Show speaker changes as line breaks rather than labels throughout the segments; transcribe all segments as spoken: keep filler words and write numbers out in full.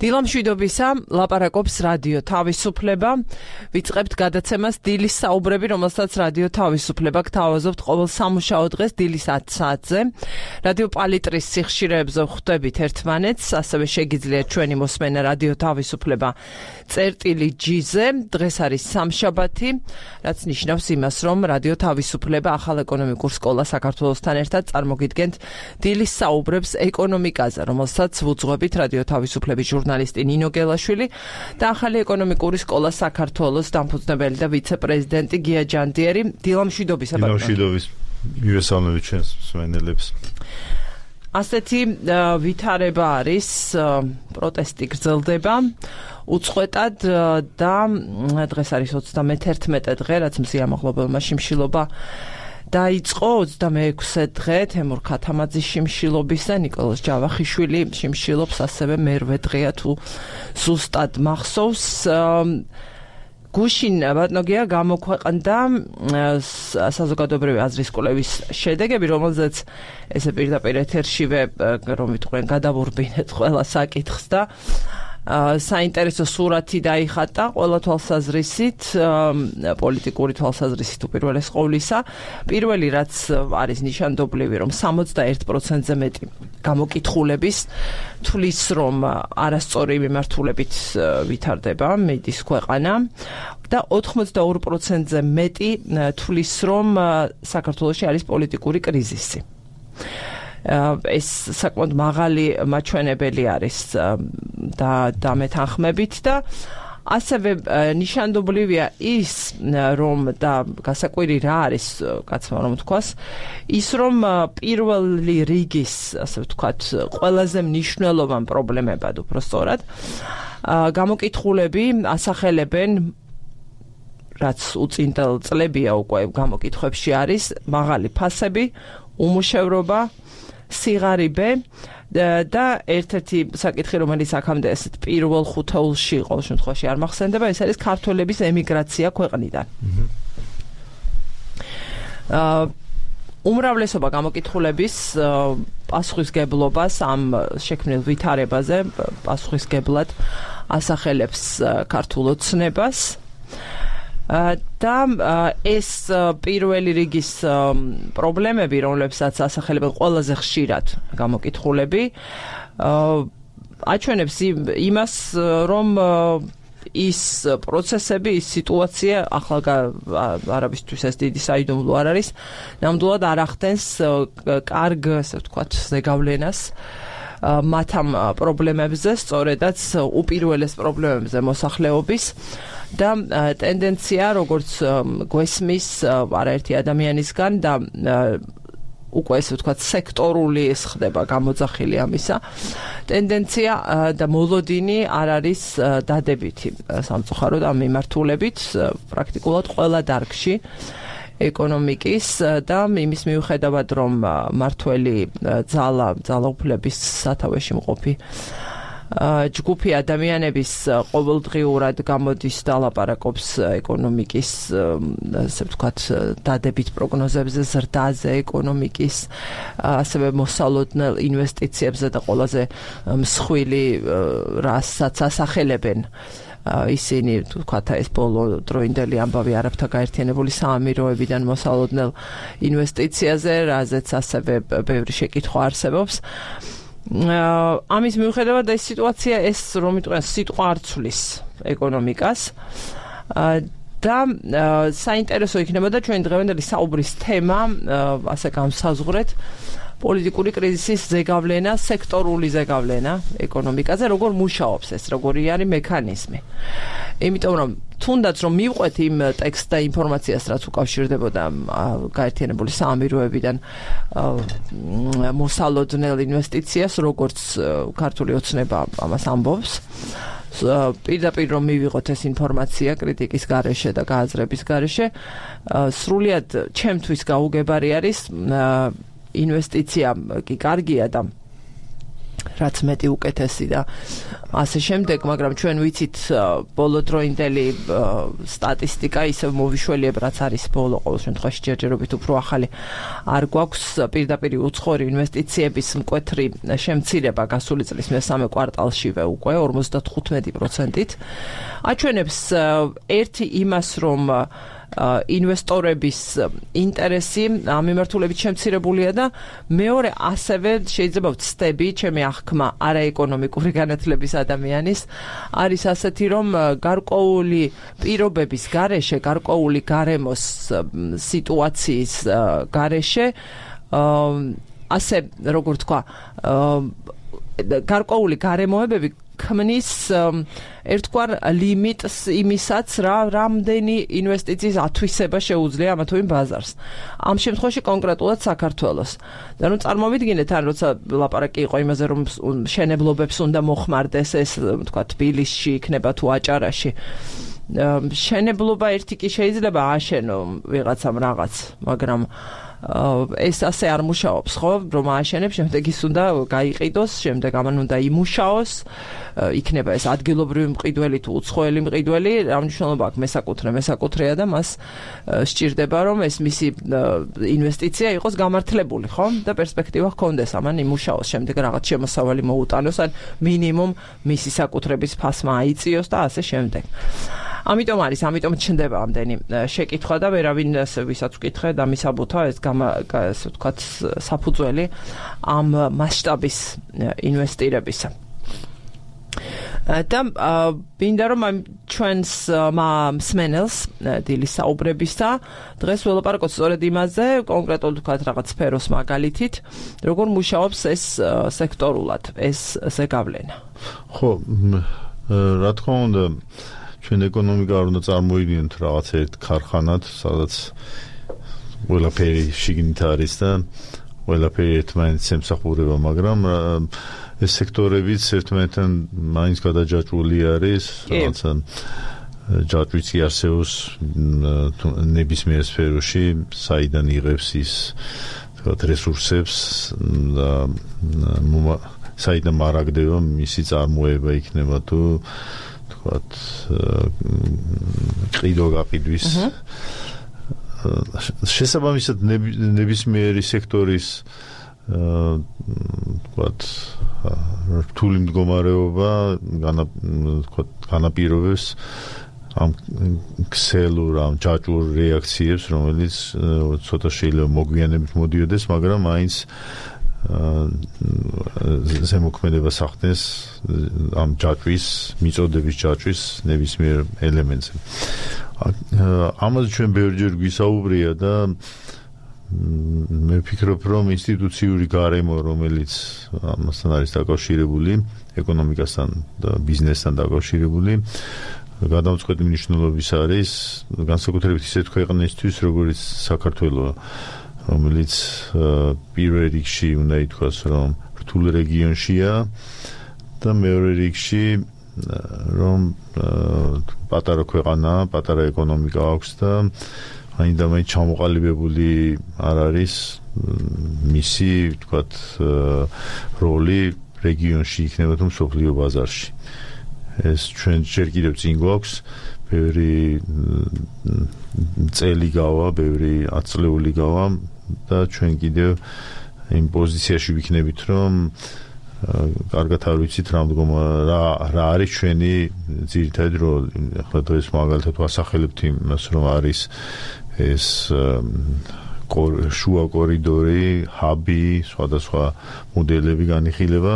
დილამშვიდობისა, ლაპარაკობს რადიო თავისუფლება. ვიწყებთ გადაცემას დილის საუბრები, რომელსაც რადიო თავისუფლება გთავაზობთ ყოველ სამუშაო დღეს დილის ათი საათზე. რადიო პალიტრის სიხშირეებზე ხვდებით ერთმანეთს, ასევე შეგიძლიათ ჩვენი მოსმენა რადიო თავისუფლება წერტილი ჯი-ზე. დღეს არის სამშაბათი, რაც ნიშნავს იმას, რომ რადიო თავისუფლება ახალ ეკონომიკურ სკოლა საქართველოსთან ერთად წარმოგიდგენთ დილის საუბრებს ეკონომიკაზე, რომელსაც ვუძღვებით რადიო თავისუფლების ჟურნალისტი ნინო გელაშვილი და ახალი ეკონომიკური სკოლა საქართველოს დამფუძნებელი და ვიცე-პრეზიდენტი გია ჯანდიერი. დილამშვიდობისა.
დილამშვიდობის. მივესალმებით ჩვენს მსმენელებს.
ასეთი ვითარება არის, პროტესტი გრძელდება უწყვეტად და დღეს არის ოცდამეთერთმეტე დღე, რაც მზია მაღლობელმა შიმშილობა დაიწყო ოცდამეექვსე დღე თემურ ქათამაძის შიმშილობის და ნიკოლოზ ჯავახიშვილი შიმშილობს, ასევე მერვე დღეა თუ ზუსტად მახსოვს. გუშინ ბატონოგია გამოქვეყნდა საზოგადოებრივი აზრის კვლევის შედეგები, რომელზეც ესე პირდაპირ ეთერშივე რომ ვიტყვენ გადავურბინეთ ყველა საკითხს და საინტერესო სურათი დაიხატა ყველა თვალსაზრისით, პოლიტიკური თვალსაზრისით უპირველეს ყოვლისა. პირველი, რაც არის ნიშანდობლივი, რომ სამოცდაერთ პროცენტზე მეტი გამოკითხულების თვლის, რომ არასწორი მიმართულებით ვითარდება მედის ქვეყანა და ოთხმოცდაორი პროცენტზე მეტი თვლის, რომ საქართველოში არის პოლიტიკური კრიზისი. ეს საკმაოდ მაღალი მაჩვენებელი არის და დამეთანხმებით და ასევე ნიშანდობლივია ის, რომ და გასაკვირი რა არის, კაცმა რომ თქვას, ის რომ პირველი რიგის, ასე ვთქვათ, ყველაზე მნიშვნელოვან პრობლემებად უბრალოდ გამოკითხულები ასახელებენ, რაც უწინდელ წლებია უკვე გამოკითხვებში არის, მაღალი ფასები, უმუშევრობა, სიღარიბე და ერთ-ერთი საკითხი, რომელიც აქამდე ესეთ პირველ ხუთეულში ყოველ შემთხვევაში არ მახსენდება, ეს არის ქართველების ემიგრაცია ქვეყნიდან. უმრავლესობა გამოკითხულების პასუხისგებლობას ამ შექმნილ ვითარებაზე პასუხისგებლად ასახელებს ქართულ ოცნებას. და ეს პირველი რიგის პრობლემები, რომლებსაც ასახელებენ ყველაზე ხშირად გამოკითხულები, აჩვენებს იმას, რომ ის პროცესები, ის სიტუაცია ახლა არაბისთვის ეს დიდი საიდუმლო არ არის, ნამდვილად არ ახდენს კარგ, ასე ვთქვათ, ზეგავლენას მათ ამ პრობლემებზე, სწორედაც უპირველეს პრობლემებზე მოსახლეობის და ტენდენცია, როგორც გვესმის არაერთი ადამიანისგან და უკვე ესე ვთქვათ სექტორული ეს ხდება გამოძახილი ამისა, ტენდენცია და მოლოდინი არ არის დადებითი სამწუხაროდ ამ მიმართულებით პრაქტიკულად ყველა დარგში ეკონომიკის და იმის მიუხედავად, რომ მართველი ძალა, ძალაუფლების სათავეში მყოფი ჯგუფი ადამიანების ყოველდღიურად გამოდის და ლაპარაკობს ეკონომიკის, ასე ვთქვათ, დადებით პროგნოზებზე, ზრდაზე, ეკონომიკის, ასევე მოსალოდნელ ინვესტიციებზე და ყველაზე მსხვილი რასაც ასახელებენ ისინი, ვთქვათ, ეს ბოლო დროინდელი ამბავი არაბთა გაერთიანებული საამიროებიდან მოსალოდნელ ინვესტიციაზე, რაზეც ასევე ბევრი შეკითხვა არსებობს. ამის მიუხედავად ეს სიტუაცია, ეს რომ ვიტყვენ, სიტყვა არ ცვლის ეკონომიკას და საინტერესო იქნებოდა ჩვენ დღევანდელი საუბრის თემა, ასე განსაზღვრეთ, პოლიტიკური კრიზისის ზეგავლენა, სექტორული ზეგავლენა ეკონომიკაზე, როგორ მუშაობს ეს, როგორი არის მექანიზმი. იმიტომ რომ თუნდაც რომ მივყვეთ იმ ტექსტს და ინფორმაციას, რაც უკავშირდებოდა გაერთიანებული საამიროებიდან მოსალოდნელ ინვესტიციას, როგორც ქართული ოცნება ამას ამბობს, პირდაპირ რომ მივიღოთ ეს ინფორმაცია კრიტიკის გარეშე და გააზრების გარეშე, სრულიად ჩემთვის გაუგებარი არის ინვესტიცია კი კარგია და რაც მეტი უკეთესი და ასე შემდეგ, მაგრამ ჩვენ ვიცით ბოლოდროინდელი სტატისტიკა ისევ მოვიშველიებ, რაც არის ბოლო ყოველ შემთხვევაში ჯერჯერობით უფრო ახალი არ გვაქვს პირდაპირ უცხოური ინვესტიციების მკვეთრი შემცირება გასული წლის მესამე კვარტალშივე უკვე ორმოცდათხუთმეტი პროცენტით აჩვენებს ერთი იმას, რომ ინვესტორების ინტერესი ამ მიმართულებით შემცირებულია და მეორე ასევე შეიძლება ვცდები ჩემი აღქმა არაეკონომიკური განათლების ადამიანის არის ასეთი, რომ გარკვეული პირობების გარეშე, გარკვეული გარემოს სიტუაციის გარეშე ასე როგორ თქვა გარკვეული გარემოებები ქმნის ერთგვარ ლიმიტს იმისაც, რა რამდენი ინვესტიციის ათვისება შეუძლია ამა თუ იმ ბაზარს. ამ შემთხვევაში კონკრეტულად საქართველოს. და ნუ წარმოვიდგინეთ, ან როცა ლაპარაკი იყო იმაზე, რომ მშენებლობებს უნდა მოხმარდეს ეს, თქვა, თბილისში იქნება თუ აჭარაში. მშენებლობა ერთი კი შეიძლება ააშენო ვიღაცამ რაღაც, მაგრამ ეს ასე არ მუშაობს, ხო? რომ ააშენებს, შემდეგ ის უნდა გაიყიდოს, შემდეგ ამან უნდა იმუშაოს, იქნება ეს ადგილობრივი მყიდველი თუ უცხოელი მყიდველი, რა მნიშვნელობა აქვს მესაკუთრე, მესაკუთრეა და მას სჭირდება, რომ ეს მისი ინვესტიცია იყოს გამართლებული, ხო? და პერსპექტივა ჰქონდეს, ამან იმუშაოს, შემდეგ რაღაც შემოსავალი მოუტანოს, ან მინიმუმ მისი საკუთრების ფასმა აიწიოს და ასე შემდეგ. ამიტომ არის, ამიტომ ჩნდება ამდენი შეკითხვა და ვერავინ ვისაც ვკითხე და მისაბუთა ეს ასე ვთქვათ საფუძველი ამ მასშტაბის ინვესტირებისა. და მინდა რომ ჩვენს მსმენელს დილის საუბრებისა დღეს ველაპარაკოთ სწორედ იმაზე, კონკრეტულად ვთქვათ რაღაც სფეროს მაგალითით, როგორ მუშაობს ეს სექტორულად, ეს ზეგავლენა.
ხო, რა თქმა უნდა, ჩვენ ეკონომიკა არ უნდა წარმოიდგინოთ რაღაც ერთ ქარხანად, სადაც ყველაფერი შიგნით არის და ყველაფერი ერთმანეთს ემსახურება, მაგრამ ეს სექტორებიც ერთმანეთთან მაინც გადაჯაჭვული არის, რაღაცა ჯაჭვიც არსებობს ნებისმიერ სფეროში, საიდან იღებს ის თქვათ რესურსებს და საიდან მარაგდება მისი წარმოება იქნება თუ თქვათ ყიდვა გაყიდვის შესაბამისად ნებისმიერი სექტორის თქვათ რთული მდგომარეობა განაპირობებს ამ ქსელურ, ამ ჯაჭვურ რეაქციებს, რომელიც ცოტა შეიძლება მოგვიანებით მოდიოდეს, მაგრამ მაინც ზემოქმედებას ახდენს ამ ჯაჭვის, მიწოდების ჯაჭვის ნებისმიერ ელემენტზე. ამაზე ჩვენ ბევრჯერ გვისაუბრია და მე ვფიქრობ, რომ ინსტიტუციური გარემო, რომელიც ამასთან არის დაკავშირებული, ეკონომიკასთან და ბიზნესთან დაკავშირებული, გადამწყვეტი მნიშვნელობის არის, განსაკუთრებით ისეთ ქვეყნისთვის, როგორც საქართველო, რომელიც პირველ რიგში უნდა ითქვას, რომ რთულ რეგიონშია და მეორე რიგში რომ პატარა ქვეყანა, პატარა ეკონომიკა აქვს და აინდა მაინც ჩამოყალიბებული არ არის მისი, ვთქვათ, როლი რეგიონში იქნება თუ მსოფლიო ბაზარში. ეს ჩვენ ჯერ კიდევ წინ გვაქვს, ბევრი წელი გავა, ბევრი ათწლეული გავა და ჩვენ კიდევ იმ პოზიციაში ვიქნებით, რომ კარგად არ ვიცით რა მდგომა რა რა არის ჩვენი ძირითადი როლი. ახლა დღეს მაგალითად ვასახელებთ იმას, რომ არის ეს შუა კორიდორი, ჰაბი, სხვადასხვა მოდელები განიხილება,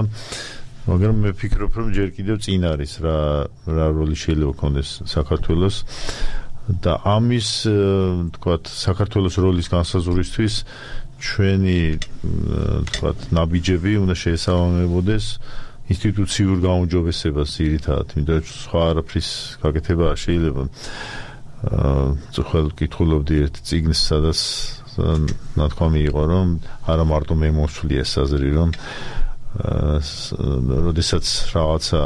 მაგრამ მე ვფიქრობ, რომ ჯერ კიდევ წინ არის რა რა როლი შეიძლება ქონდეს საქართველოს და ამის თქვათ საქართველოს როლის განსაზღვრისთვის ჩვენი თქვათ ნაბიჯები უნდა შეესაბამებოდეს ინსტიტუციურ გაუმჯობესებას ძირითადად, იმიტომ რომ სხვა არაფრის გაკეთება არ შეიძლება. ახლა ვკითხულობდი ერთ წიგნს, სადაც ნათქვამი იყო, რომ არა მარტო მე მოსვლი ეს აზრი, რომ როდესაც რაღაცა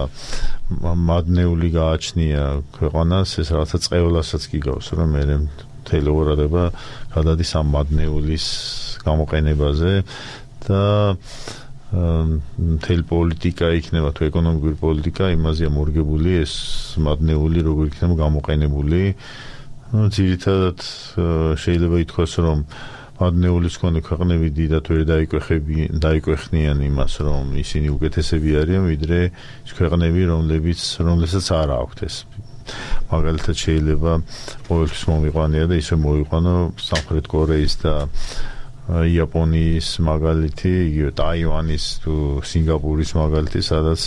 მადნეული გააჩნია ქვეყანას, ეს რაღაცა წყევლასაც გიგავს, რომ მე მთელი გადადის ამ მადნეულის გამოყენებაზე და მთელი პოლიტიკა იქნება თუ ეკონომიკური პოლიტიკა იმაზეა მორგებული ეს მადნეული როგორ იქნება გამოყენებული ძირითადად შეიძლება ითქვას რომ მადნეულის მქონე ქვეყნები დიდად ვერ დაიკვეხნიან იმას რომ ისინი უკეთესები არიან ვიდრე ის ქვეყნები რომლებიც რომლებსაც არ აქვთ ეს მაგალითად შეიძლება ყოველთვის მომიყვანია და ისე მოიყვანო სამხრეთ კორეის და იაპონიის მაგალითი, იგივე ტაივანის თუ სინგაპურის მაგალითი, სადაც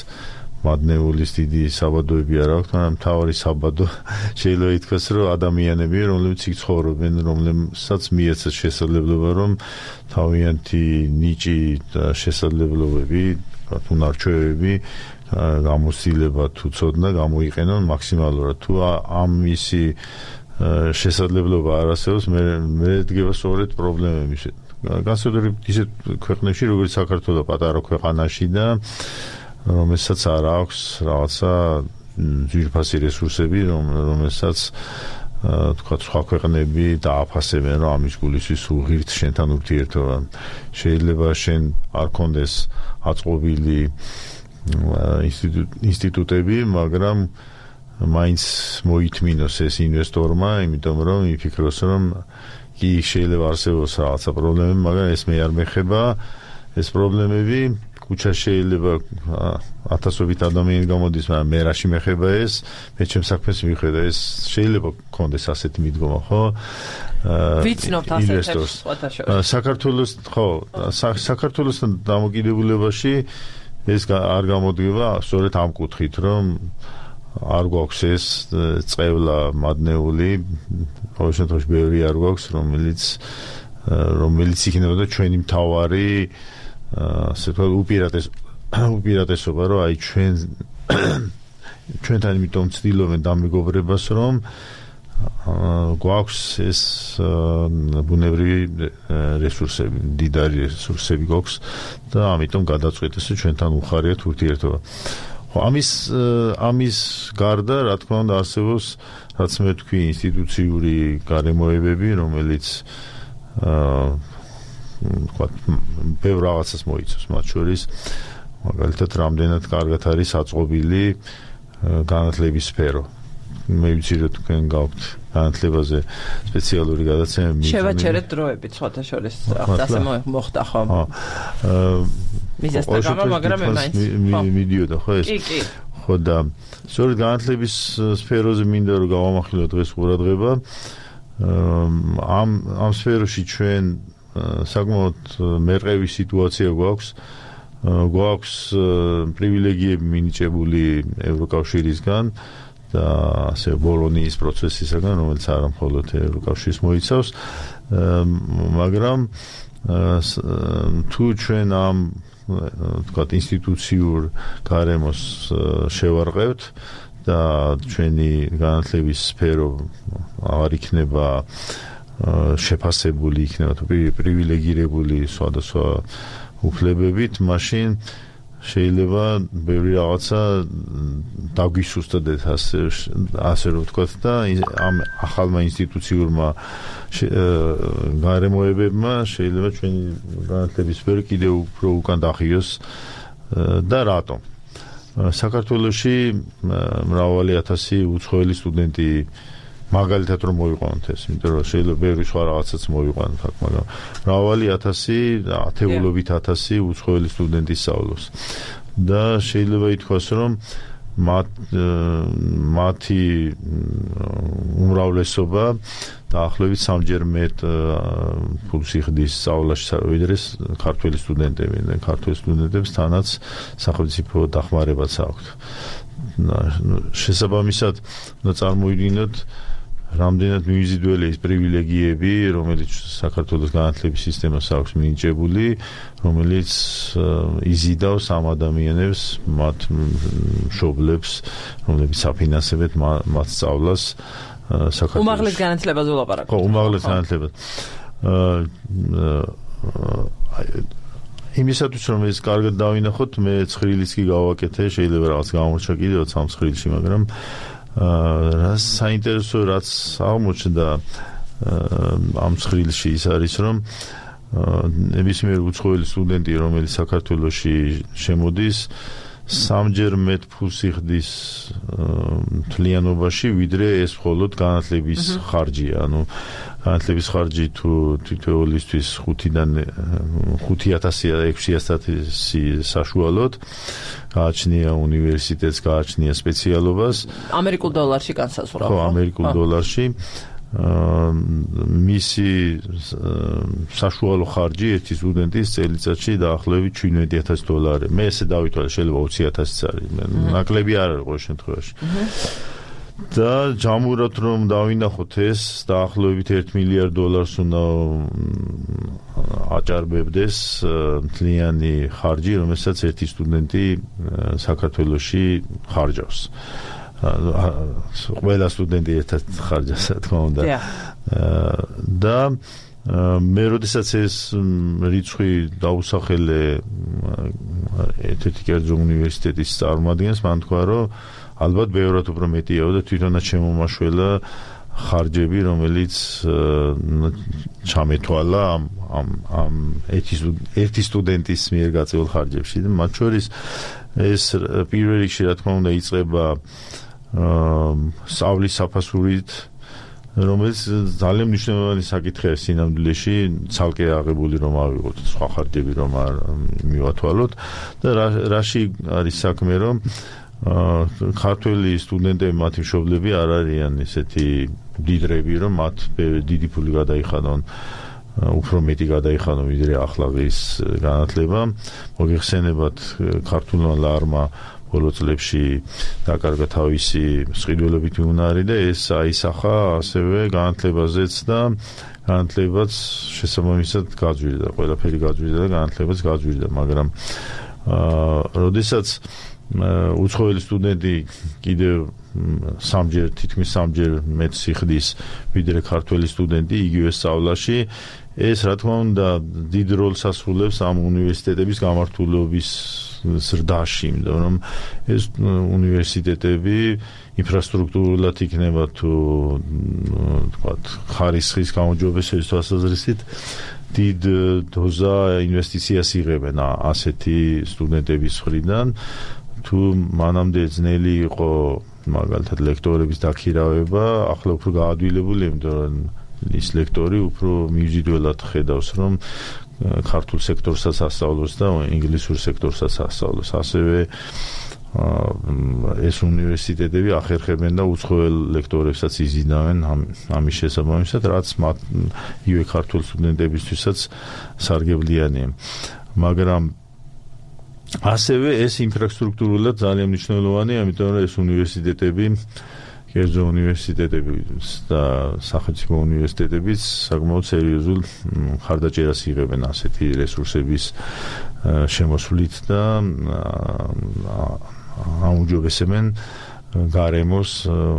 მადნეულის დიდი საბადოები არ აქვს, მაგრამ მთავარი საბადო შეიძლება ითქვას, რომ ადამიანები, რომლებიც იქ ცხოვრობენ, რომლებსაც მიეცათ შესაძლებლობა, რომ თავიანთი ნიჭი და შესაძლებლობები, უნარჩვევები, გამოცდილება თუ ცოდნა გამოიყენონ მაქსიმალურად. თუ ამისი შესაძლებლობა არ არსებობს, მე მე დგება სწორედ პრობლემები. განსაკუთრებით ისეთ ქვეყნებში, როგორც საქართველო, პატარა ქვეყანაში და რომელსაც არ აქვს რაღაცა ძვირფასი რესურსები, რომელსაც თქვა სხვა ქვეყნები დააფასებენ, რომ ამის გულისთვის უღირთ შენთან ურთიერთობა. შეიძლება შენ არ კონდეს აწყობილი ინსტიტუტები, მაგრამ მაინც მოითმინოს ეს ინვესტორმა, იმიტომ რომ იფიქროს, რომ კი შეიძლება არსებობს რაღაცა პრობლემები, მაგრამ ეს მე არ მეხება, ეს პრობლემები კუჩა შეიძლება ათასობით ადამიანი გამოდის, მაგრამ მე რაში მეხება ეს, მე ჩემს საქმეს მიხედა, ეს შეიძლება კონდეს ასეთი მიდგომა, ხო?
ვიცნობთ ასეთებს სხვათაშორის.
საქართველოს, ხო, საქართველოსთან დამოკიდებულებაში ეს არ გამოდგება სწორედ ამ კუთხით, რომ არ გვაქვს ეს წევლა მადნეული, ყოველ შემთხვევაში ბევრი არ გვაქვს, რომელიც რომელიც იქნებოდა ჩვენი მთავარი ასე ვთქვათ უპირატეს უპირატესობა, რომ აი ჩვენ ჩვენთან იმიტომ ვცდილობენ დამეგობრებას, რომ გვაქვს ეს ბუნებრივი რესურსები, დიდარი რესურსები გვაქვს და ამიტომ გადაწყვეტეს ჩვენთან უხარიათ ურთიერთობა. ამის ამის გარდა, რა თქმა უნდა, არსებობს, რაც მე თქვი, ინსტიტუციური გარემოებები, რომელიც აა ვთქვათ, ბევრ რაღაცას მოიცავს, მათ შორის მაგალითად, რამდენად კარგად არის აწყობილი განათლების სფერო. მე ვიცი, რომ თქვენ გაქვთ განათლებაზე სპეციალური გადაცემა.
შევაჩერეთ დროებით, სხვათა შორის, ასე მოხდა ხო? აა მიზესთან გამა, მაგრამ მე მაინც
მიდიოდა ხო ეს?
კი, კი.
ხო და სწორედ განათლების სფეროზე მინდა რომ გავამახვილო დღეს ყურადღება. ამ ამ სფეროში ჩვენ საკმაოდ მერყევი სიტუაცია გვაქვს. გვაქვს პრივილეგიები მინიჭებული ევროკავშირისგან და ასე ბოლონიის პროცესისაგან, რომელიც არა მხოლოდ ევროკავშირს მოიცავს, მაგრამ თუ ჩვენ ამ ვთქვათ ინსტიტუციურ გარემოს შევარყევთ და ჩვენი განათლების სფერო აღარ იქნება შეფასებული, იქნება თუ პრივილეგირებული სხვადასხვა უფლებებით, მაშინ შეიძლება ბევრი რაღაცა დაგვისუსტდეთ, ასე ასე რომ ვთქვათ და ამ ახალმა ინსტიტუციურმა გარემოებებმა შეიძლება ჩვენი განათლების სფერო კიდევ უფრო უკან დახიოს და რატომ? საქართველოში მრავალი ათასი უცხოელი სტუდენტი მაგალითად რომ მოიყვანოთ ეს, იმიტომ რომ შეიძლება ბევრი სხვა რაღაცაც მოიყვანოთ აქ, მაგრამ მრავალი ათასი, ათეულობით ათასი უცხოელი სტუდენტი სწავლობს. და შეიძლება ითქვას, რომ მათ მათი უმრავლესობა დაახლოებით სამჯერ მეტ ფულს იხდის სწავლაში, ვიდრე ქართველი სტუდენტები. და ქართველ სტუდენტებს თანაც სახელმწიფო დახმარებაც აქვთ. შესაბამისად, უნდა წარმოვიდგინოთ რამდენად მიზიდველი ის პრივილეგიები, რომელიც საქართველოს განათლების სისტემას აქვს მინიჭებული, რომელიც იზიდავს ამ ადამიანებს, მათ მშობლებს, რომლებიც აფინანსებენ მათ სწავლას საქართველოს.
უმაღლეს განათლებაზე ვლაპარაკობ.
ხო, უმაღლეს განათლებაზე. იმისათვის რომ ეს კარგად დავინახოთ, მე ცხრილიც კი გავაკეთე, შეიძლება რაღაც გამორჩა კიდევ სამ ცხრილში, მაგრამ რა საინტერესო რაც აღმოჩნდა ამ ცხრილში ის არის, რომ ნებისმიერ უცხოელი სტუდენტი, რომელიც საქართველოში შემოდის, სამჯერ მეტ ფულს იხდის მთლიანობაში, ვიდრე ეს მხოლოდ განათლების ხარჯია. ანუ განათლების ხარჯი თუ თითოეულისთვის ხუთიდან ხუთი ათასი ექვსი ათასი საშუალოდ გააჩნია უნივერსიტეტს, გააჩნია სპეციალობას.
ამერიკულ დოლარში განსაზღვრა.
ხო, ამერიკულ დოლარში. მისი საშუალო ხარჯი ერთი სტუდენტის წელიწადში დაახლოებით შვიდმეტი ათასი დოლარი. მე ესე დავითვალე, შეიძლება ოცი ათასიც არის. ნაკლები არ არის ყოველ შემთხვევაში. და ჯამურად რომ დავინახოთ ეს, დაახლოებით ერთი მილიარდ დოლარს უნდა აჭარბებდეს მთლიანი ხარჯი, რომელსაც ერთი სტუდენტი საქართველოში ხარჯავს. ყველა სტუდენტი ერთად ხარჯავს, რა თქმა უნდა. და მე როდესაც ეს რიცხვი დაუსახელე ერთ-ერთი კერძო უნივერსიტეტის წარმომადგენელს, მან თქვა, რომ ალბათ ბევრად უფრო მეტია და თვითონაც შემომაშველა ხარჯები, რომელიც ჩამეთვალა ამ ამ ამ ერთი სტუდენტის მიერ გაწეულ ხარჯებში და მათ შორის ეს პირველ რიგში, რა თქმა უნდა, იწყება სწავლის საფასურით, რომელიც ძალიან მნიშვნელოვანი საკითხია სინამდვილეში, ცალკე აღებული რომ ავიღოთ, სხვა ხარჯები რომ არ მივათვალოთ და რაში არის საქმე, რომ ქართველი სტუდენტები, მათი მშობლები არ არიან ესეთი დიდრები, რომ მათ დიდი ფული გადაიხადონ, უფრო მეტი გადაიხადონ, ვიდრე ახლა ის განათლება. მოგეხსენებათ, ქართულმა ლარმა ბოლო წლებში დაკარგა თავისი მსყიდველობითი უნარი და ეს აისახა ასევე განათლებაზეც და განათლებაც შესაბამისად გაძვირდა, ყველაფერი გაძვირდა და განათლებაც გაძვირდა, მაგრამ როდესაც უცხოელი სტუდენტი კიდევ სამჯერ, თითქმის სამჯერ მეტ სიხდის ვიდრე ქართველი სტუდენტი იგივე სწავლაში, ეს რა თქმა უნდა დიდ როლს ასრულებს ამ უნივერსიტეტების გამართულების ზრდაში, იმიტომ რომ ეს უნივერსიტეტები ინფრასტრუქტურულად იქნება თუ თქვათ ხარისხის გაუმჯობესების თვალსაზრისით დიდ დოზა ინვესტიციას იღებენ ასეთი სტუდენტების მხრიდან. თუ მანამდე ძნელი იყო მაგალითად ლექტორების დაქირავება, ახლა უფრო გაადვილებული, იმიტომ რომ ის ლექტორი უფრო მივზიდველად ხედავს, რომ ქართულ სექტორსაც ასწავლოს და ინგლისურ სექტორსაც ასწავლოს. ასევე ეს უნივერსიტეტები ახერხებენ და უცხოელ ლექტორებსაც იზიდავენ ამის შესაბამისად, რაც მათ იგივე ქართულ სტუდენტებისთვისაც სარგებლიანია. მაგრამ ასევე ეს ინფრასტრუქტურულად ძალიან მნიშვნელოვანია, იმიტომ რომ ეს უნივერსიტეტები, კერძო უნივერსიტეტები და სახელმწიფო უნივერსიტეტებიც საკმაოდ სერიოზულ ხარდაჭერას იღებენ ასეთი რესურსების შემოსვლით და აუმჯობესებენ გარემოს,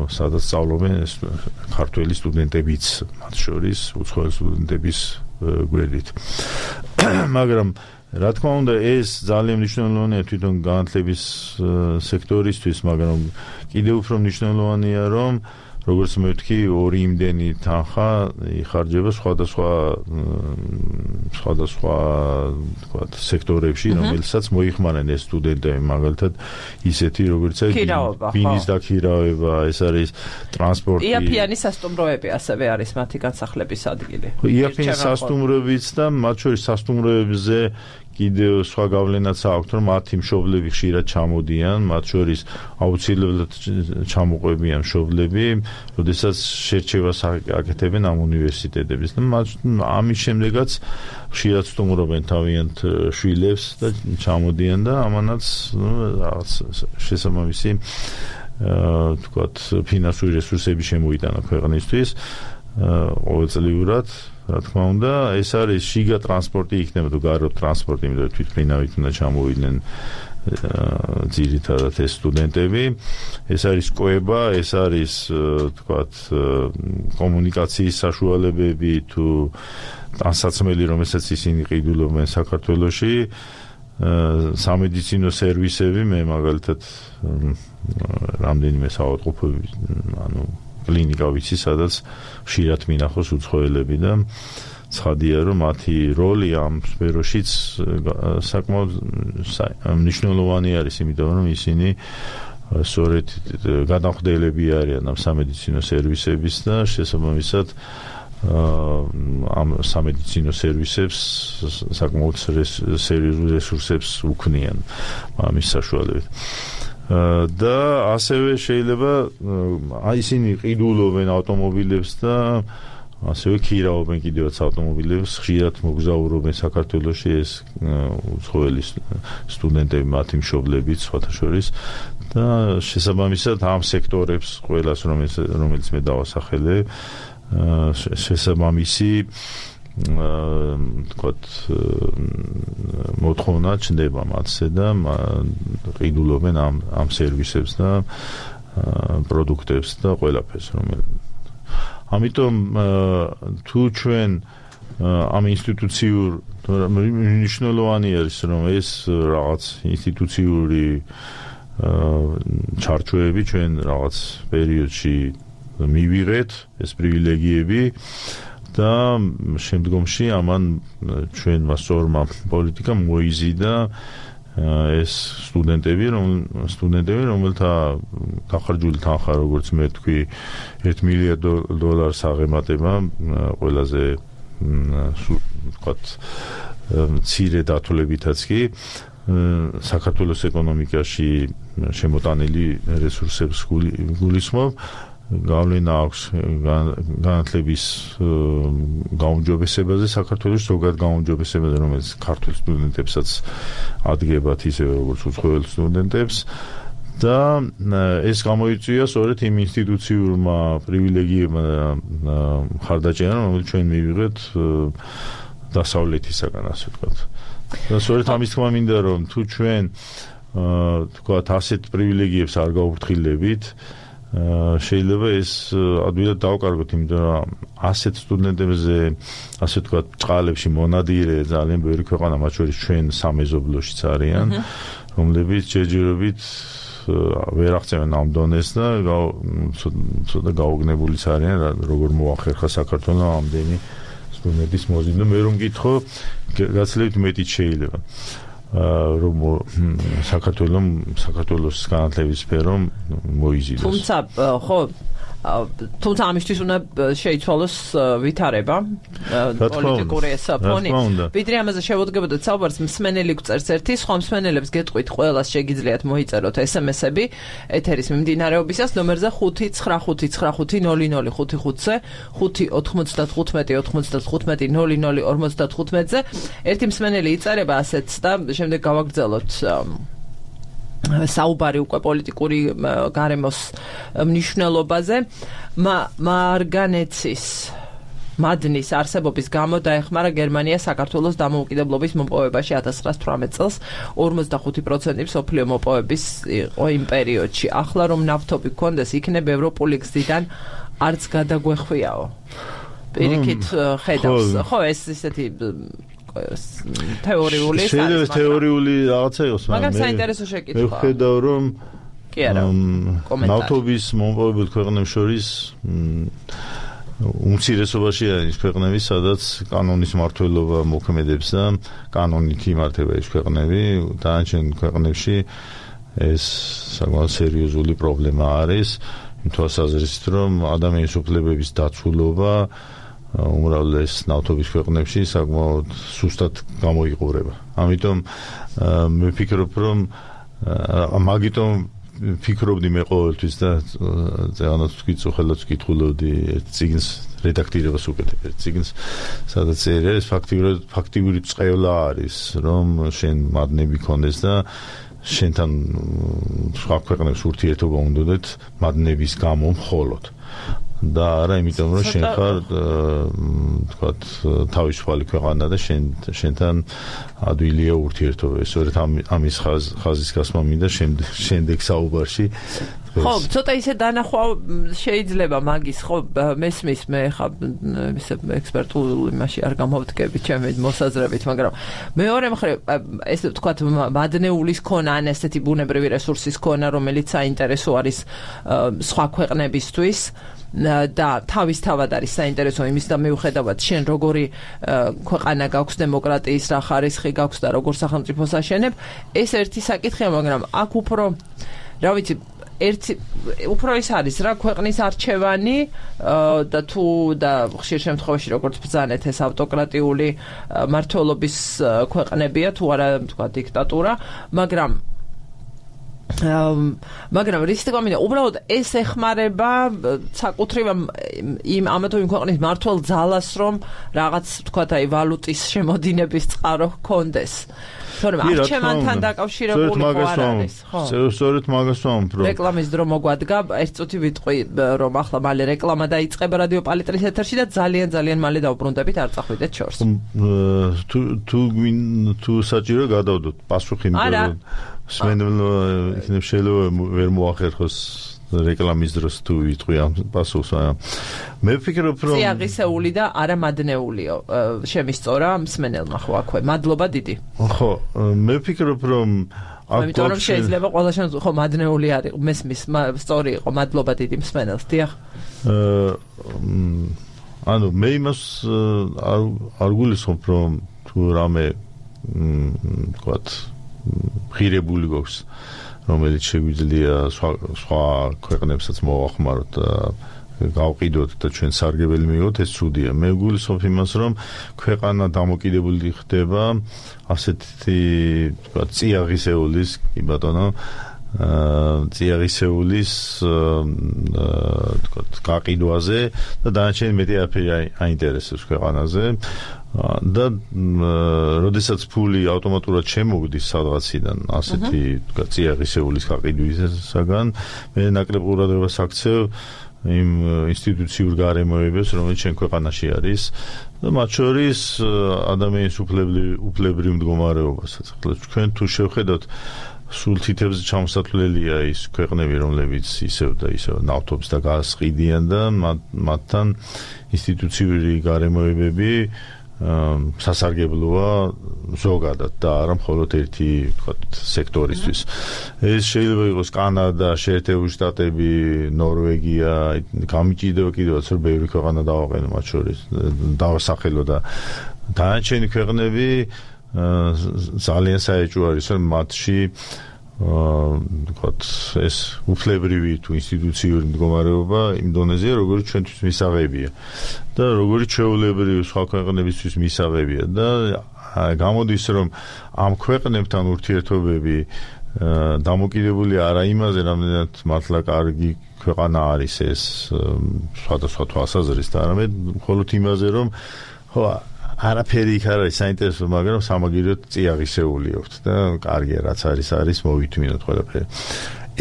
სადაც სწავლობენ ქართველი სტუდენტებიც, მათ შორის უცხოელი სტუდენტების გვერდით. მაგრამ რა თქმა უნდა, ეს ძალიან მნიშვნელოვანია თვითონ განათლების სექტორისთვის, მაგრამ კიდევ უფრო მნიშვნელოვანია, რომ როგორც მე ვთქვი, ორი იმდენი თანხა იხარჯება სხვადასხვა სხვადასხვა თქვათ სექტორებში, რომელსაც მოიხმარენ ეს სტუდენტები, მაგალითად ისეთი როგორც ბინის დაქირავება, ეს არის ტრანსპორტი.
იაფიანი სასტუმროები ასევე არის მათი განსახლების ადგილი.
იაფიანი სასტუმროებიც და მათ შორის სასტუმროებზე კიდევ სხვა გავლენაც აქვს, რომ მათი მშობლები ხშირად ჩამოდიან, მათ შორის აუცილებლად ჩამოყვებიან მშობლები, როდესაც შერჩევას აკეთებენ ამ უნივერსიტეტების. ამის შემდეგაც ხშირად სტუმრობენ თავიანთ შვილებს და ჩამოდიან და ამანაც რაღაც შესაბამისი თქვათ ფინანსური რესურსები შემოიტანა ქვეყნისთვის ყოველწლიურად. რა თქმა უნდა, ეს არის შიგა ტრანსპორტი იქნება თუ გარო ტრანსპორტი, იმიტომ რომ თვითმფრინავით უნდა ჩამოვიდნენ ძირითადად ეს სტუდენტები. ეს არის კოება, ეს არის თქვათ კომუნიკაციის საშუალებები თუ ტანსაცმელი, რომელსაც ისინი ყიდულობენ საქართველოში, სამედიცინო სერვისები, მე მაგალითად რამდენიმე საავადმყოფოები, ანუ კლინიკა ვიცი, სადაც ხშირად მინახავს უცხოელები და ცხადია რომ მათი როლი ამ სფეროშიც საკმაოდ მნიშვნელოვანი არის, იმიტომ რომ ისინი სწორედ გადამხდელები არიან ამ სამედიცინო სერვისების და შესაბამისად ამ სამედიცინო სერვისებს საკმაოდ სერიოზულ რესურსებს უქმნიან ამის საშუალებით. და ასევე შეიძლება აი ისინი ყიდულობენ ავტომობილებს და ასევე ქირავენ კიდევაც ავტომობილებს, ხშირად მოგზაურობენ საქართველოში ეს უცხოელი სტუდენტები, მათი მშობლებიც სხვათა შორის და შესაბამისად ამ სექტორებს ყველას რომელიც რომელიც მე დავასახელე შესაბამისი თქვათ მოთხოვნა ჩნდება მათზე და ყიდულობენ ამ ამ სერვისებს და პროდუქტებს და ყველაფერს რომელიც ამიტომ თუ ჩვენ ამ ინსტიტუციურ მნიშვნელოვანი არის რომ ეს რაღაც ინსტიტუციური ჩარჩოები ჩვენ რაღაც პერიოდში მივიღეთ ეს პრივილეგიები და შემდგომში ამან ჩვენმა სწორმა პოლიტიკამ მოიზიდა ეს სტუდენტები რომ სტუდენტები რომელთა გახარჯული თანხა როგორც მე თქვი ერთ მილიარდ დოლარს აღემატება ყველაზე ვთქვათ მცირე დათვლებითაც კი საქართველოს ეკონომიკაში შემოტანილი რესურსებს გულისხმობ გავლენა აქვს განათლების გაუმჯობესებაზე საქართველოს ზოგად გაუმჯობესებაზე რომელიც ქართულ სტუდენტებსაც ადგებათ ისე როგორც უცხოელ სტუდენტებს და ეს გამოიწვია სწორედ იმ ინსტიტუციურმა პრივილეგიებმა მხარდაჭერამ რომელიც ჩვენ მივიღეთ დასავლეთისაგან ასე ვთქვათ და სწორედ ამის თქმა მინდა რომ თუ ჩვენ ვთქვათ ასეთ პრივილეგიებს არ გავუფრთხილებით შეიძლება ეს ადვილად დავკარგოთ, იმიტომ რომ ასეთ სტუდენტებზე, ასე ვთქვათ, წყალებში მონადირე ძალიან ბევრი ქვეყანა, მათ შორის ჩვენ სამეზობლოშიც არიან, რომლებიც ჯერჯერობით ვერ აღწევენ ამ დონეს და ცოტა გაუგნებულიც არიან, როგორ მოახერხა საქართველოს ამდენი სტუდენტის მოზიდვა. მე რომ გითხო, გაცილებით მეტიც შეიძლება. რომ საქართველოს საქართველოს განათლების სფერომ მოიზიდოს.
თუმცა ხო თუმცა ამისთვის უნდა შეიცვალოს ვითარება პოლიტიკური საფონი. ვიდრე ამაზე შევუდგებოდეთ საუბარს, მსმენელი გვწერს ერთი, სხვა მსმენელებს გეტყვით ყველას შეგიძლიათ მოიწეროთ ესემესები ეთერის მიმდინარეობისას ნომერზე ხუთი ცხრა ხუთი ცხრა ხუთი ნული ნული ხუთი ხუთზე ხუთი ოთხმოცდათხუთმეტი ოთხმოცდათხუთმეტი ნული ნული ორმოცდათხუთმეტზე ერთი მსმენელი იწერება ასეც და შემდეგ გავაგრძელოთ საუბარი უკვე პოლიტიკური გარემოს მნიშვნელობაზე მარგანეცის მადნის არსებობის გამო დაეხმარა გერმანია საქართველოს დამოუკიდებლობის მოპოვებაში ათას ცხრაას თვრამეტ წელს ორმოცდახუთი პროცენტი მსოფლიო მოპოვების იყო იმ პერიოდში. ახლა რომ ნავთობი გქონდეს იქნებ ევროპული გზიდან არც გადაგვეხვიაო. პირიქით ხედავს ხო ეს ისეთი თეორიული
შეიძლება თეორიული რაღაცა იყოს,
მაგრამ საინტერესო შეკითხვაა.
მე ვხედავ რომ
კი არა,
ნავთობის მომპოვებელ ქვეყნებს შორის უმცირესობაში არის ქვეყნები, სადაც კანონის მმართველობა მოქმედებს და კანონით იმართება ეს ქვეყნები, დანარჩენ ქვეყნებში ეს საკმაოდ სერიოზული პრობლემა არის, იმ თვალსაზრისით რომ ადამიანის უფლებების დაცულობა უმრავლეს ნავთობის ქვეყნებში საკმაოდ სუსტად გამოიყურება. ამიტომ მე ვფიქრობ, რომ მაგიტომ ვფიქრობდი მე ყოველთვის და ზეანაც თქვი წუხელად ვკითხულობდი ერთ წიგნს რედაქტირებას უკეთებ ერთ წიგნს, სადაც წერია ეს ფაქტიური ფაქტიური წყევლა არის, რომ შენ მადნები ქონდეს და შენთან სხვა ქვეყნებს ურთიერთობა უნდათ მადნების გამო მხოლოდ. და არა იმიტომ რომ შენ ხარ თქვათ თავისუფალი ქვეყანა და შენ შენთან ადვილია ურთიერთობა. სწორედ ამის ხაზის გასმა მინდა შემდეგ საუბარში
ხო, ცოტა ისე დანახვა შეიძლება მაგის, ხო, მესმის მე ხა ისე ექსპერტული მასში არ გამოვდგები ჩემი მოსაზრებით, მაგრამ მეორე მხრივ ესე ვთქვათ მადნეულის ქონა ან ესეთი ბუნებრივი რესურსის ქონა, რომელიც საინტერესო არის სხვა ქვეყნებისთვის და თავისთავად არის საინტერესო იმის და მიუხედავად შენ როგორი ქვეყანა გაქვს დემოკრატიის რა ხარისხი გაქვს და როგორ სახელმწიფოს აშენებ, ეს ერთი საკითხია, მაგრამ აქ უფრო რა ვიცი ერთი უფრო ის არის რა ქვეყნის არჩევანი და თუ და ხშირ შემთხვევაში როგორც ბრძანეთ ეს ავტოკრატიული მმართველობის ქვეყნებია თუ არა თქვა დიქტატურა, მაგრამ მაგრამ რის თქმა უბრალოდ ეს ეხმარება საკუთრივ იმ ამა თუ იმ ქვეყნის მმართველ ძალას რომ რაღაც თქვა აი ვალუტის შემოდინების წყარო ჰქონდეს. თორემ არჩევანთან დაკავშირებული ხო არ არის, ხო?
სწორედ მაგას ვამბობ, რომ
რეკლამის დრო მოგვადგა, ერთ წუთი ვიტყვი რომ ახლა მალე რეკლამა დაიწყება რადიო პალიტრის ეთერში და ძალიან ძალიან მალე დავბრუნდებით, არ წახვიდეთ შორს.
თუ თუ თუ საჭირო გადავდოთ პასუხი იმიტომ სვენდელო იქნებ შეიძლება ვერ მოახერხოს რეკლამის დროს თუ ვიტყვი ამ პასუხს. მე ვფიქრობ რომ
წიაღისეული და არა მადნეულიო შემისწორა მსმენელმა ხო აქვე. მადლობა დიდი.
ხო, მე ვფიქრობ რომ
ამიტომ რომ შეიძლება ყველა შემთხვევაში ხო მადნეული არის მესმის სწორი იყო. მადლობა დიდი მსმენელს. დიახ. ანუ მე იმას არ გულისხმობ რომ თუ რამე ვთქვათ ღირებული გვაქვს რომელიც შეგვიძლია სხვა ქვეყნებსაც მოვახმაროთ და გავყიდოთ და ჩვენ სარგებელი მივიღოთ, ეს ცუდია. მე გულისხმობ იმას, რომ ქვეყანა დამოკიდებული ხდება ასეთი თქვა წიაღისეულის, კი ბატონო, წიაღისეულის თქვა გაყიდვაზე და დანარჩენი მეტი არაფერი აინტერესებს ქვეყანაზე. და როდესაც ფული ავტომატურად შემოგდის სადღაციდან ასეთი თქვა წიაღისეულის გაყიდვისაგან, მე ნაკლებ ყურადღებას აქცევ იმ ინსტიტუციურ გარემოებებს, რომელიც ჩვენ ქვეყანაში არის და მათ შორის ადამიანის უფლებრივ მდგომარეობასაც. ჩვენ თუ შევხედოთ სულ თითებზე ჩამოსათვლელია ის ქვეყნები, რომლებიც ისევ და ისევ ნავთობს და გაზს ყიდიან და მათთან ინსტიტუციური გარემოებები სასარგებლოა ზოგადად და არა მხოლოდ ერთი ვთქვათ სექტორისთვის. ეს შეიძლება იყოს კანადა, შეერთებული შტატები, ნორვეგია, გამიჭირდება კიდევაც რომ ბევრი ქვეყანა დავაყენო მათ შორის დავასახელო და დანარჩენი ქვეყნები ძალიან საეჭვო არის რომ მათში ვთქვათ ეს უფლებრივი თუ ინსტიტუციური მდგომარეობა იმ დონეზეა, როგორც ჩვენთვის მისაღებია და როგორც ჩვეულებრივი სხვა ქვეყნებისთვის მისაღებია და გამოდის რომ ამ ქვეყნებთან ურთიერთობები დამოკიდებული არა იმაზე, რამდენად მართლა კარგი ქვეყანა არის ეს სხვადასხვა თვალსაზრისით, არამედ მხოლოდ იმაზე, რომ ხო არაფერი იქ არ არის საინტერესო, მაგრამ სამაგიეროდ წიაღისეული აქვს და კარგია რაც არის არის მოვითმინოთ ყველაფერი.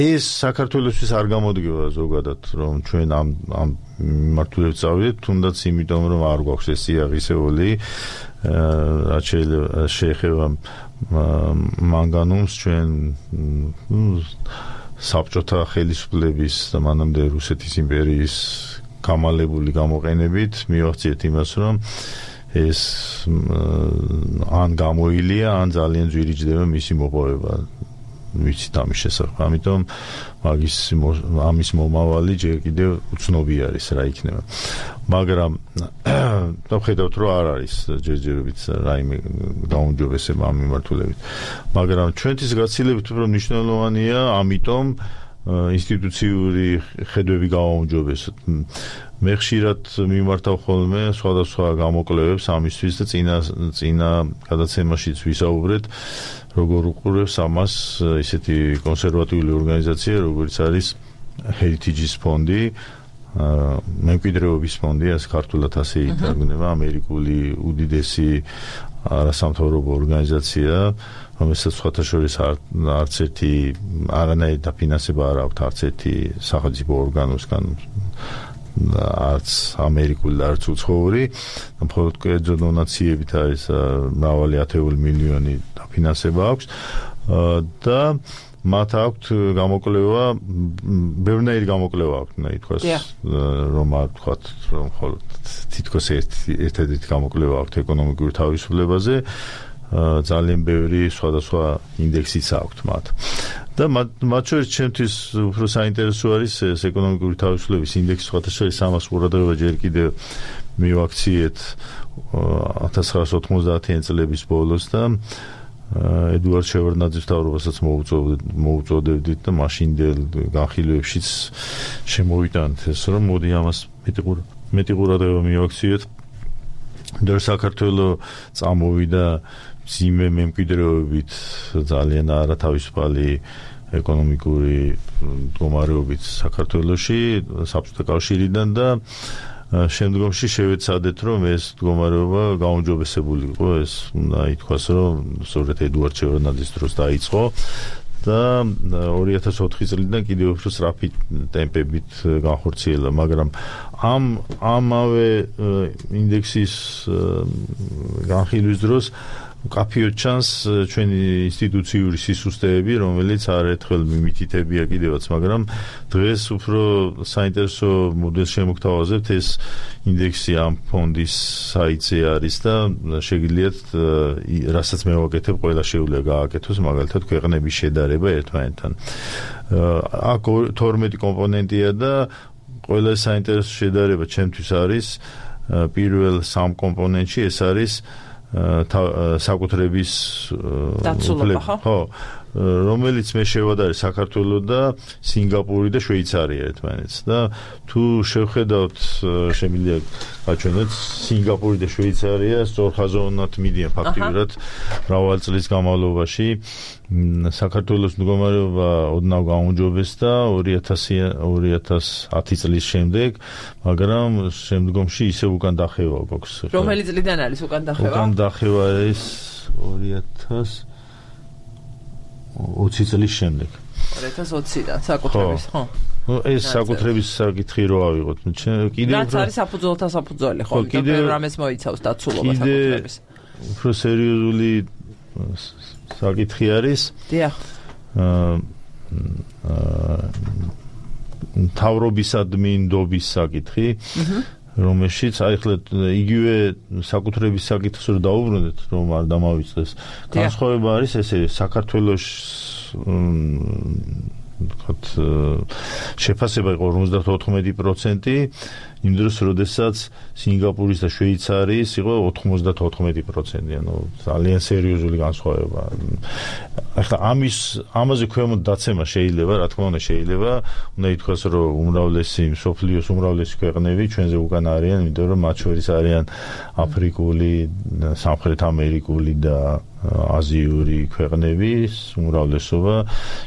ეს საქართველოსთვის არ გამოდგება ზოგადად რომ ჩვენ ამ ამ მიმართულებით წავიდეთ, თუნდაც იმიტომ რომ არ გვაქვს ეს წიაღისეული, რაც შეეხება მანგანუმს ჩვენ საბჭოთა ხელისუფლების და მანამდე რუსეთის იმპერიის გამალებული გამოყენებით მივახციეთ იმას, რომ ეს ან გამოილია, ან ძალიან ძვირიჭდება მისი მოპოვება. ვიცით ამის შესახებ. ამიტომ მაგის ამის მომავალი ჯერ კიდევ უცნობი არის რა იქნება. მაგრამ დავხედავთ რომ არ არის ჯერჯერობით რაიმე გაუმჯობესება ამ მიმართულებით. მაგრამ ჩვენთვის გაცილებით უფრო მნიშვნელოვანია, ამიტომ ინსტიტუციური ხედვები გავაუმჯობესოთ. მე ხშირად მიმართავ ხოლმე სხვადასხვა გამოკვლევებს ამისთვის და წინა წინა გადაცემაშიც ვისაუბრეთ, როგორ უყურებს ამას ისეთი კონსერვატიული ორგანიზაცია, როგორც არის Heritage-ის ფონდი, მემკვიდრეობის ფონდი, ეს ქართულად ასე ითარგმნება, ამერიკული უდიდესი არასამთავრობო ორგანიზაცია, რომელსაც სხვათა შორის არც ერთი არანაირი დაფინანსება არ აქვს არც ერთი სახელმწიფო ორგანოსგან, არც ამერიკული და არც უცხოური, მხოლოდ კერძო დონაციებით არის მრავალი ათეული მილიონი დაფინანსება აქვს და
მათ აქვთ გამოკვლევა, ბევრნაირი გამოკვლევა აქვთ, უნდა ითქვას, რომ ვთქვათ, რომ მხოლოდ თითქოს ერთ-ერთი გამოკვლევა აქვთ ეკონომიკური თავისუფლებაზე, ძალიან ბევრი სხვადასხვა ინდექსიც აქვთ მათ. და მათ შორის ჩემთვის უფრო საინტერესო არის ეს ეკონომიკური თავისუფლების ინდექსი, სხვათა შორის ამას ყურადღება ჯერ კიდევ მივაქციეთ ათას ცხრაასი ოთხმოცდაათიანი წლების ბოლოს და ედუარდ შევარდნაძის მთავრობასაც მოუწოდებდით და მაშინდელ განხილვებშიც შემოვიტანთ ეს, რომ მოდი ამას მეტი ყურადღება მივაქციეთ. და საქართველო წამოვიდა მძიმე მემკვიდრეობით ძალიან არათავისუფალი ეკონომიკური მდგომარეობით საქართველოში საბჭოთა კავშირიდან და შემდგომში შევეცადეთ, რომ ეს მდგომარეობა გაუმჯობესებული იყო, ეს უნდა ითქვას, რომ სწორედ ედუარდ შევარდნაძის დროს დაიწყო და ორი ათას ოთხი წლიდან კიდევ უფრო სწრაფი ტემპებით განხორციელა, მაგრამ ამ ამავე ინდექსის განხილვის დროს მკაფიოდ ჩანს ჩვენი ინსტიტუციური სისუსტეები, რომელიც არაერთხელ მიმითითებია კიდევაც, მაგრამ დღეს უფრო საინტერესო მოდელს შემოგთავაზებთ. ეს ინდექსი ამ ფონდის საიტზე არის და შეგიძლიათ რასაც მე ვაკეთებ, ყველა შეუძლია გააკეთოს, მაგალითად ქვეყნების შედარება ერთმანეთთან. აქ თორმეტი კომპონენტია და ყველა საინტერესო შედარება ჩემთვის არის პირველ სამ კომპონენტში, ეს არის საკუთრების
დაცულობა,
ხო, რომელიც მე შევადარე საქართველო და სინგაპური და შვეიცარია ერთმანეთს და თუ შევხედავთ შემიძლია გაჩვენოთ სინგაპური და შვეიცარია სწორხაზოვნად მიდიან ფაქტიურად მრავალი წლის განმავლობაში. საქართველოს მდგომარეობა ოდნავ გაუმჯობესდა ორი ათი წლის შემდეგ, მაგრამ შემდგომში ისევ უკან დახევა გვაქვს.
რომელი წლიდან არის უკან დახევა?
უკან დახევა არის ორი ათას ოცი წლის შემდეგ.
ორი ათას ოციდან საკუთრების, ხო?
ეს საკუთრების საკითხი რო ავიღოთ.
კიდევ რაც არის საფუძველთა საფუძველი, ხო? კიდევ რამეს მოიცავს დაცულობა საკუთრების.
უფრო სერიოზული საკითხი არის.
დიახ.
მთავრობისადმი ნდობის საკითხი, რომელშიც აი ხლა იგივე საკუთრების საკითხს რო დაუბრუნდეთ, რომ არ დამავიწყდეს. განსხვავება არის ესე, საქართველოს ვთქვათ შეფასება იყო ორმოცდათოთხმეტი პროცენტი, იმ დროს, როდესაც სინგაპურის და შვეიცარიის იყო ოთხმოცდათოთხმეტი პროცენტი, ანუ ძალიან სერიოზული განსხვავება. ახლა ამის ამაზე ქვემოთ დაცემა შეიძლება, რა თქმა უნდა შეიძლება, უნდა ითქვას, რომ უმრავლესი მსოფლიოს უმრავლესი ქვეყნები ჩვენზე უკან არიან, იმიტომ რომ მათ შორის არიან აფრიკული, სამხრეთ ამერიკული და აზიური ქვეყნების უმრავლესობა,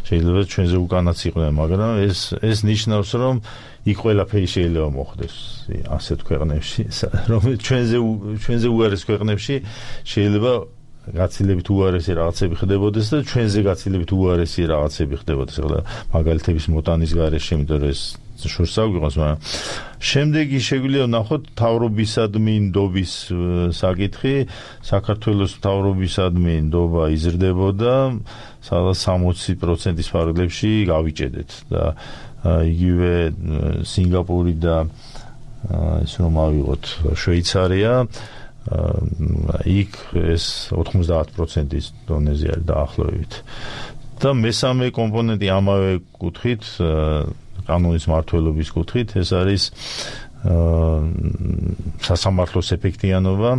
შეიძლება ჩვენზე უკანაც იყვნენ, მაგრამ ეს ეს ნიშნავს, რომ იქ ყველაფერი შეიძლება მოხდეს ასეთ ქვეყნებში, რომელიც ჩვენზე ჩვენზე უარეს ქვეყნებში შეიძლება გაცილებით უარესი რაღაცები ხდებოდეს და ჩვენზე გაცილებით უარესი რაღაცები ხდებოდეს. ახლა მაგალითების მოტანის გარეშე, იმიტომ რომ ეს შორს აგვიღოს, მაგრამ შემდეგი შეგვიძლია ვნახოთ მთავრობისადმი ნდობის საკითხი. საქართველოს მთავრობისადმი ნდობა იზრდებოდა, სადაც სამოცი პროცენტის ფარგლებში გავიჭედეთ და იგივე სინგაპური და ის რომ ავიღოთ შვეიცარია, იქ ეს ოთხმოცდაათ პროცენტის დონეზე არის დაახლოებით. და მესამე კომპონენტი ამავე კუთხით, კანონის მმართველობის კუთხით, ეს არის სასამართლოს ეფექტიანობა.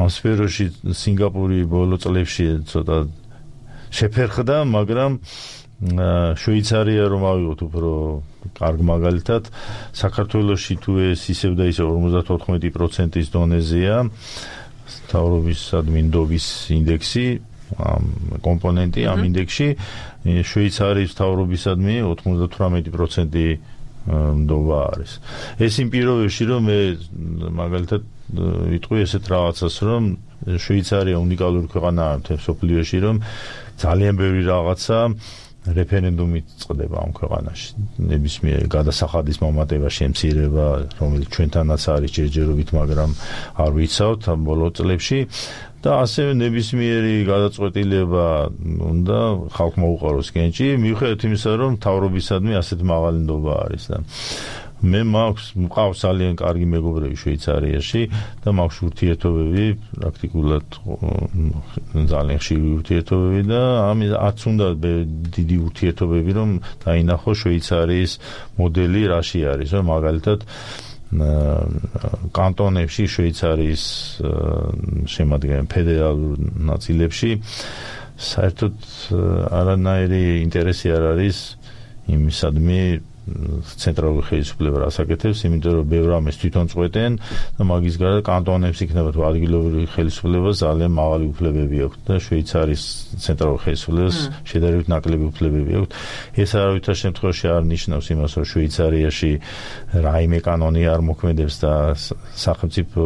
ამ სფეროში სინგაპური ბოლო წლებში ცოტა შეფერხდა, მაგრამ შვეიცარია რომ ავიღოთ უფრო კარგ მაგალითად, საქართველოში თუ ეს ისევ და ისევ ორმოცდათოთხმეტი პროცენტის დონეზეა მთავრობისადმი ნდობის ინდექსი, ამ კომპონენტი ამ ინდექსში, შვეიცარიის მთავრობისადმი ოცდათვრამეტი პროცენტი ნდობა არის. ეს იმ პირობებში, რომ მე მაგალითად ვიტყვი ესეთ რაღაცას, რომ შვეიცარია უნიკალური ქვეყანაა მთელ მსოფლიოში, რომ ძალიან ბევრი რაღაცა რეფერენდუმით წყდება ამ ქვეყანაში. ნებისმიერ გადასახადის მომატება, შემცირება, რომელიც ჩვენთანაც არის ჯერჯერობით, მაგრამ არ ვიცავთ ამ ბოლო წლებში და ასევე ნებისმიერი გადაწყვეტილება უნდა ხალხმა უყაროს კენჭი, მიუხედავად იმისა, რომ მთავრობისადმი ასეთ მაღალი ნდობა არის და მე მაქვს მყავს ძალიან კარგი მეგობრები შვეიცარიაში და მაქვს ურთიერთობები პრაქტიკულად ძალიან ხშირი ურთიერთობები და ამაც უნდა დიდი ურთიერთობები რომ დაინახო შვეიცარიის მოდელი რაში არის რომ მაგალითად კანტონებში შვეიცარიის შემადგენელ ფედერალურ ნაწილებში საერთოდ არანაირი ინტერესი არ არის იმისადმი ცენტრალური ხელისუფლება რასაკეთებს, იმიტომ რომ ბევრ ამას თვითონ წყვეტენ და მაგის გარდა კანტონებს იქნება თუ ადგილობრივი ხელისუფლება ძალიან მაღალი უფლებები აქვს და შვეიცარიის ცენტრალურ ხელისუფლებას შედარებით ნაკლები უფლებები აქვს. ეს არავითარ შემთხვევაში არ ნიშნავს იმას, რომ შვეიცარიაში რაიმე კანონი არ მოქმედებს და სახელმწიფო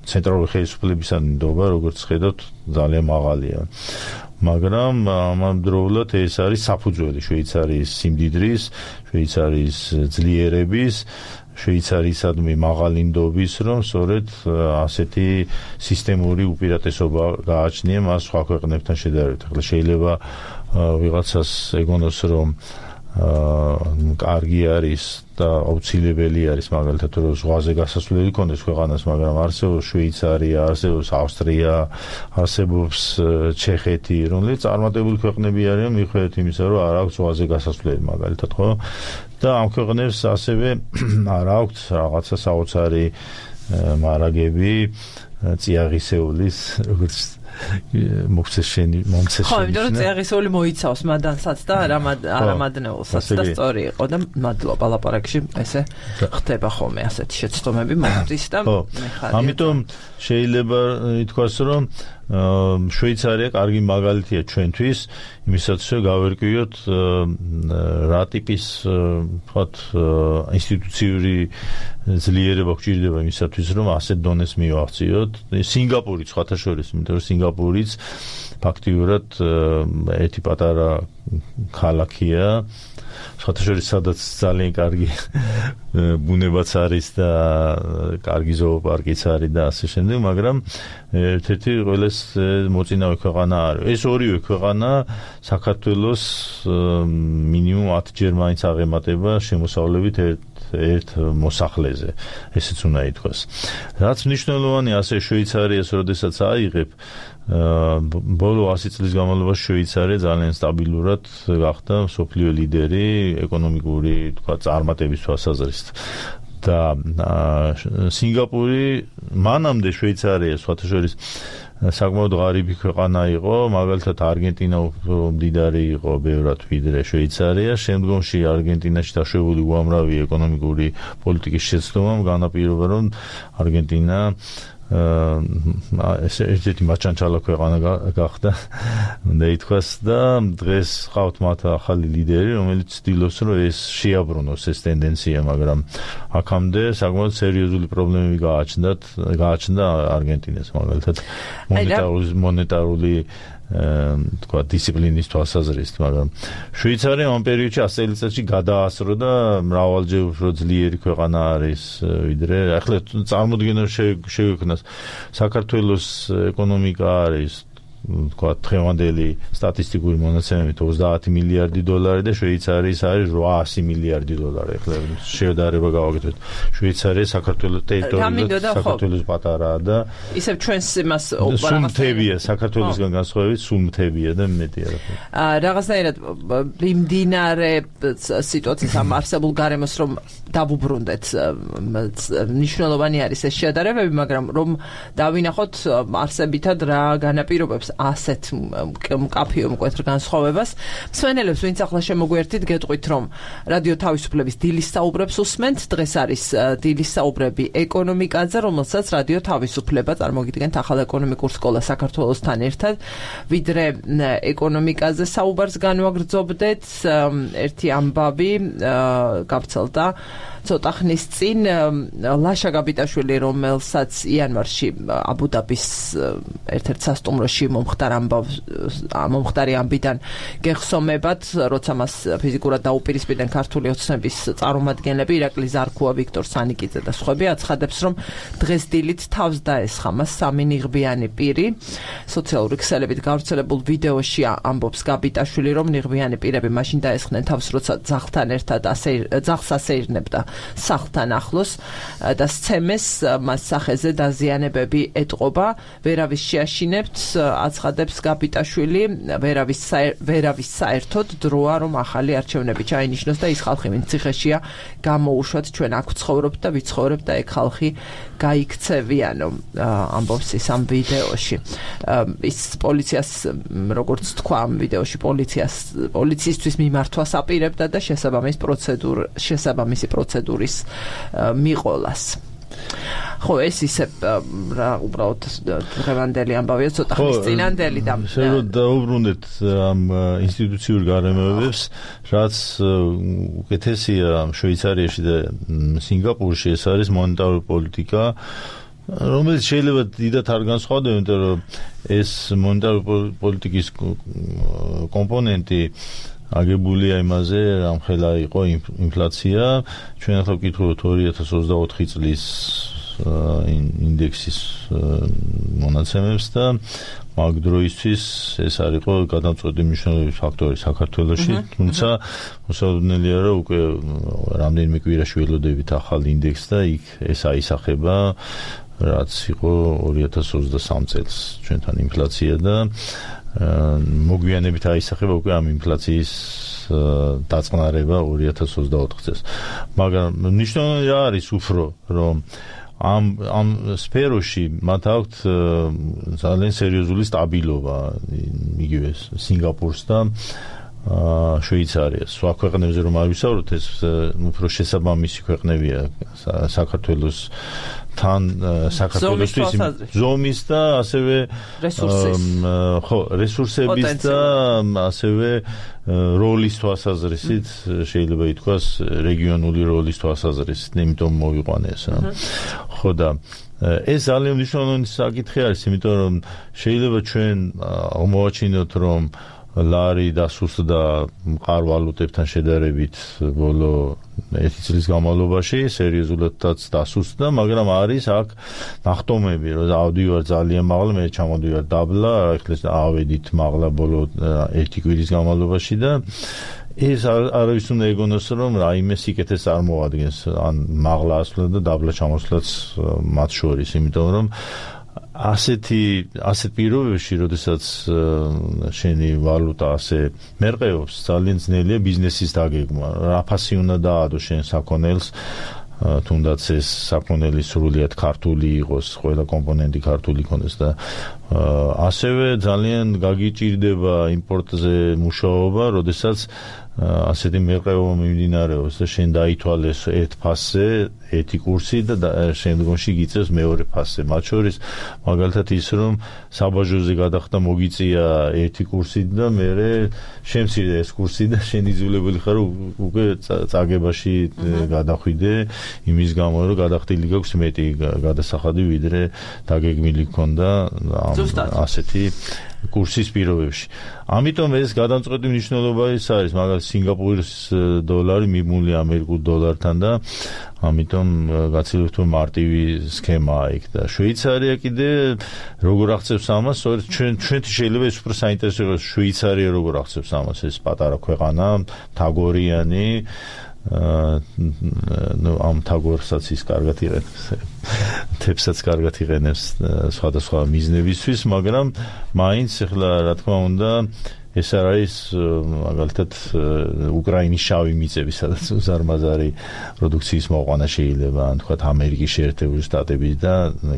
ცენტრალური ხელისუფლებისადმი ნდობა, როგორც ხედავთ, ძალიან მაღალია. მაგრამ ამავდროულად ეს არის საფუძველი შვეიცარიის სიმდიდრის, შვეიცარიის ძლიერების, შვეიცარიისადმი მაღალი ნდობის, რომ სწორედ ასეთი სისტემური უპირატესობა გააჩნია მას სხვა ქვეყნებთან შედარებით. ახლა შეიძლება ვიღაცას ეგონოს, რომ კარგი არის და აუცილებელი არის მაგალითად რომ ზღვაზე გასასვლელი ქონდეს ქვეყანას, მაგრამ არსებობს შვეიცარია, არსებობს ავსტრია, არსებობს ჩეხეთი, რომლებიც წარმატებული ქვეყნები არიან მიუხედავად იმისა, რომ არ აქვს ზღვაზე გასასვლელი მაგალითად, ხო? და ამ ქვეყნებს ასევე არ აქვს რაღაცა საოცარი მარაგები წიაღისეულის, როგორც მოხსეშენი მომცეშენი.
ხო, იმიტომ რომ წიაღისეული მოიცავს მადანსაც და არამადნეულსაც და სწორი იყო და მადლობა ლაპარაკში ესე ხდება ხოლმე ასეთი შეცდომები მომდის და
მეხარია. ამიტომ შეიძლება ითქვას, რომ შვეიცარია კარგი მაგალითია ჩვენთვის, იმისათვის რომ გავერკვიოთ რა ტიპის ვთქვათ ინსტიტუციური ძლიერება გვჭირდება იმისათვის, რომ ასეთ დონეს მივაღწიოთ. სინგაპური სხვათა შორის, იმიტომ რომ სინგაპურიც ფაქტიურად ერთი პატარა ქალაქია, სხვათა შორის სადაც ძალიან კარგი ბუნებაც არის და კარგი ზოოპარკიც არის და ასე შემდეგ, მაგრამ ერთ-ერთი ყველას მოწინავე ქვეყანა არის. ეს ორივე ქვეყანა საქართველოს მინიმუმ ათჯერ მაინც აღემატება შემოსავლებით ერთ მოსახლეზე, ესეც უნდა ითქვას. რაც მნიშვნელოვანია ასე შვეიცარიას როდესაც აიღებ, ბოლო ასი წლის განმავლობაში შვეიცარია ძალიან სტაბილურად გახდა მსოფლიო ლიდერი ეკონომიკური, თქვა, წარმატების თვალსაზრისით. და სინგაპური მანამდე შვეიცარია სხვათა შორის საკმაოდ ღარიბი ქვეყანა იყო, მაგალითად არგენტინა უფრო მდიდარი იყო ბევრად ვიდრე შვეიცარია, შემდგომში არგენტინაში დაშვებული უამრავი ეკონომიკური პოლიტიკის შეცდომამ განაპირობა, რომ არგენტინა ეს ერთ-ერთი მაჩანჩალა ქვეყანა გახდა და ითქვას და დღეს ყავთ მათ ახალი ლიდერი, რომელიც ცდილობს, რომ ეს შეაბრუნოს ეს ტენდენცია, მაგრამ აქამდე საკმაოდ სერიოზული პრობლემები გააჩნდათ, გააჩნდა არგენტინას მაგალითად მონეტარული მონეტარული თქვა დისციპლინის თვალსაზრისით, მაგრამ შვეიცარია ამ პერიოდში ასი წელიწადში გადაასრო და მრავალჯერ უფრო ძლიერი ქვეყანა არის ვიდრე ახლა წარმოდგენა შეგვექნას საქართველოს ეკონომიკა არის თქვა დღევანდელი სტატისტიკური მონაცემებით ოცდაათი მილიარდი დოლარი და შვეიცარიის არის ოცდაათი მილიარდი დოლარი. ახლა შედარება გავაკეთოთ. შვეიცარია საქართველოს ტერიტორიულად საქართველოს პატარაა და
ისევ ჩვენს იმას
სულ მთებია, საქართველოსგან განსხვავებით სულ მთებია და მეტი არა.
აა რაღაცნაირად მიმდინარე სიტუაციის ამ არსებულ გარემოს რომ დავუბრუნდეთ, მნიშვნელოვანი არის ეს შედარებები, მაგრამ რომ დავინახოთ არსებითად რა განაპირობებს ასეთ მკაფიო მკვეთრ განსხვავებას. მსმენელებს, ვინც ახლა შემოგვერთით, გეტყვით, რომ რადიო თავისუფლების დილის საუბრებს უსმენთ. დღეს არის დილის საუბრები ეკონომიკაზე, რომელსაც რადიო თავისუფლება წარმოგიდგენთ ახალ ეკონომიკურ სკოლას საქართველოსთან ერთად. ვიდრე ეკონომიკაზე საუბარს განვაგრძობდეთ, ერთი ამბავი გავრცელდა ცოტა ხნის წინ ლაშა გაბიტაშვილი, რომელსაც იანვარში აბუ-დაბის ერთ-ერთ სასტუმროში მომხდარ ამბავს მომხდარი ამბიდან გეხსომებად, როცა მას ფიზიკურად დაუპირისპირდნენ ქართული ოცნების წარმომადგენლები, ირაკლი ზარქუა, ვიქტორ სანიკიძე და სხვები, აცხადებს, რომ დღეს დილით თავს დაესხა მას სამი ნიღბიანი პირი. სოციალური ქსელებით გავრცელებულ ვიდეოში ამბობს გაბიტაშვილი, რომ ნიღბიანი პირები მაშინ დაესხნენ თავს, როცა ძაღლთან ერთად ძაღლს ასეირნებდა სახლთან ახლოს და სცემეს მას სახეზე დაზიანებები ეტყობა. ვერავის შეაშინებთ, აცხადებს გაბიტაშვილი, ვერავის ვერავის საერთოდ დროა, რომ ახალი არჩევნები ჩაინიშნოს და ის ხალხი, ვინც ციხეშია, გამოუშვათ, ჩვენ აქ ვცხოვრობთ და ვიცხოვრებთ და ეგ ხალხი გაიქცევიანო, ამბობს ის ამ ვიდეოში. ის პოლიციას, როგორც თქვა ამ ვიდეოში, პოლიციას პოლიციისთვის მიმართვას აპირებდა და შესაბამის პროცედურ შესაბამისი პროცედურის მიყოლას. ხო, ეს ისე რა უბრალოდ დღევანდელი ამბავია, ცოტა ხნის წინანდელი და
შეიძლება დაუბრუნდეთ ამ ინსტიტუციურ გარემოებებს, რაც უკეთესია შვეიცარიაში და სინგაპურში, ეს არის მონეტარული პოლიტიკა, რომელიც შეიძლება დიდად არ განსხვავდება, იმიტომ რომ ეს მონეტარული პოლიტიკის კომპონენტი აგებულია იმაზე, რამხელა იყო ინფლაცია. ჩვენ ახლა ვკითხულობთ ორი ათას ოცდაოთხი წლის ინდექსის მონაცემებს და მაგ დროისთვის ეს არ იყო გადამწყვეტი მნიშვნელობის ფაქტორი საქართველოში, თუმცა მოსაუბრელია, რომ უკვე რამდენიმე კვირაში ველოდებით ახალ ინდექსს და იქ ეს აისახება, რაც იყო ორი ათას ოცდასამი წელს ჩვენთან ინფლაცია და მოგვიანებით აისახება უკვე ამ ინფლაციის დაწყნარება ორი ათას ოცდაოთხ წელს. მაგრამ მნიშვნელოვანი რა არის უფრო, რომ ამ ამ სფეროში მათ აქვთ ძალიან სერიოზული სტაბილობა, იგივე სინგაპურს და შვეიცარიას. სხვა ქვეყნებზე რომ არ ვისაუბროთ, ეს უფრო შესაბამისი ქვეყნებია საქართველოს თან საქართველოსთვის ზომის და ასევე ხო რესურსების და ასევე როლის თვალსაზრისით შეიძლება ითქვას რეგიონული როლის თვალსაზრისით, იმიტომ მოვიყვანე ეს რა. ხო და ეს ძალიან მნიშვნელოვანი საკითხი არის, იმიტომ რომ შეიძლება ჩვენ მოვაჩინოთ, რომ ლარი დასუსტდა მყარვალუტებთან შედარებით ბოლო ერთი წლის განმავლობაში, სერიოზულადაც დასუსტდა, მაგრამ არის აქ ნახტომები, რომ ავდივარ ძალიან მაღლა, მე ჩამოდივარ დაბლა, ახლა ავედით მაღლა ბოლო ერთი კვირის განმავლობაში და ეს არავის უნდა ეგონოს, რომ რაიმე სიკეთეს წარმოადგენს, ან მაღლა ასვლა და დაბლა ჩამოსვლაც მათ შორის, იმიტომ რომ ასეთი ასეთ პირობებში, როდესაც შენი ვალუტა ასე მერყეობს, ძალიან ძნელია ბიზნესის დაგეგმა. რა ფასი უნდა დაადო შენ საქონელს, თუნდაც ეს საქონელი სრულიად ქართული იყოს, ყველა კომპონენტი ქართული იქონდეს და ასევე ძალიან გაგიჭირდება იმპორტზე მუშაობა, როდესაც ასეთი მერყეობა მიმდინარეობს და შენ დაითვალეს ერთ ფასზე ერთი კურსი და შემდგომში გიწევს მეორე ფასზე. მათ შორის მაგალითად ის, რომ საბაჟოზე გადახდა მოგიწია ერთი კურსი და მერე შემცირდა ეს კურსი და შენ იძულებული ხარ უკვე წაგებაში გადახვიდე, იმის გამო რომ გადახდილი გაქვს მეტი გადასახადი, ვიდრე დაგეგმილი ქონდა ასეთი კურსის პირობებში. ამიტომ ეს გადამწყვეტი მნიშვნელობა ის არის, მაგალითად სინგაპურის დოლარი მიმული ამერიკულ დოლართან და ამიტომ გაცილებით მარტივი სქემაა იქ და შვეიცარია კიდე როგორ აღწევს ამას, სწორედ ჩვენ ჩვენთვის შეიძლება ეს უფრო საინტერესო იყოს, შვეიცარია როგორ აღწევს ამას, ეს პატარა ქვეყანა, თაგორიანი, ნუ ამ თაგორსაც ის კარგად იღებს, თებსაც კარგად იღენებს სხვადასხვა მიზნებისთვის, მაგრამ მაინც ახლა რა თქმა უნდა ეს არ არის მაგალითად უკრაინის შავი მიწები, სადაც უზარმაზარი პროდუქციის მოყვანა შეიძლება, ან თქვათ ამერიკის შეერთებული შტატები და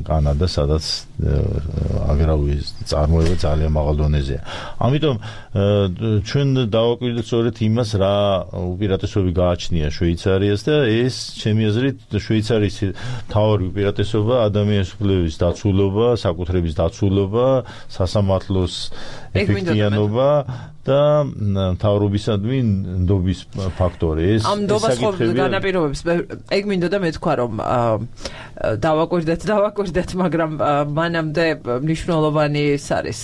კანადა, სადაც აგრარული წარმოება ძალიან მაღალ დონეზეა. ამიტომ ჩვენ დავაკვირდით სწორედ იმას, რა უპირატესობები გააჩნია შვეიცარიას და ეს ჩემი აზრით შვეიცარიის მთავარი უპირატესობა ადამიანის უფლებების დაცულობა, საკუთრების დაცულობა, სასამართლოს ეფექტიანობა და მთავრობისადმი ნდობის ფაქტორი ეს
ამ ნდობას ხო განაპირობებს ეგ მინდოდა მეთქვა რომ დავაკვირდეთ დავაკვირდეთ მაგრამ მანამდე მნიშვნელოვანი ის არის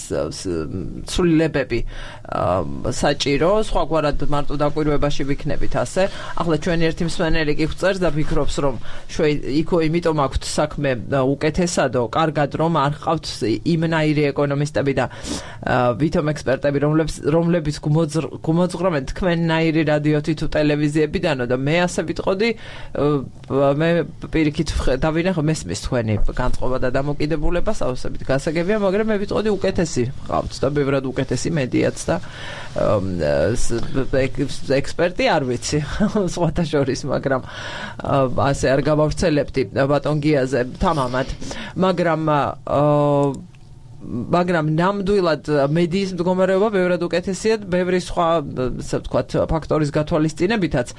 ცვლილებები საჭირო სხვაგვარად მარტო დაკვირვებაში ვიქნებით ასე ახლა ჩვენი ერთი მსმენელი კი ხვწერს და ფიქრობს რომ იქო იმიტომ აქვთ საქმე უკეთესადო კარგად რომ არ ყავთ იმნაირი ეკონომისტები და ვითომ ექსპერტები რომლებიც რომლებიც გუმოძღრავენ თქვენნაირი რადიოთი თუ ტელევიზიებიდანო და მე ასე ვიტყოდი მე პირიქით დავინახე მესმის თქვენი განწყობა და დამოკიდებულება საოცრებით გასაგებია მაგრამ მე ვიტყოდი უკეთესი ყავთ და ბევრად უკეთესი მედიაც და ექსპერტი არ ვიცი სხვათა შორის მაგრამ ასე არ გავავრცელებდი ბატონ გიაზე თამამად მაგრამ მაგრამ ნამდვილად მედიის მდგომარეობა ბევრად უკეთესია ბევრი სხვა ასე ვთქვათ ფაქტორის გათვალისწინებითაც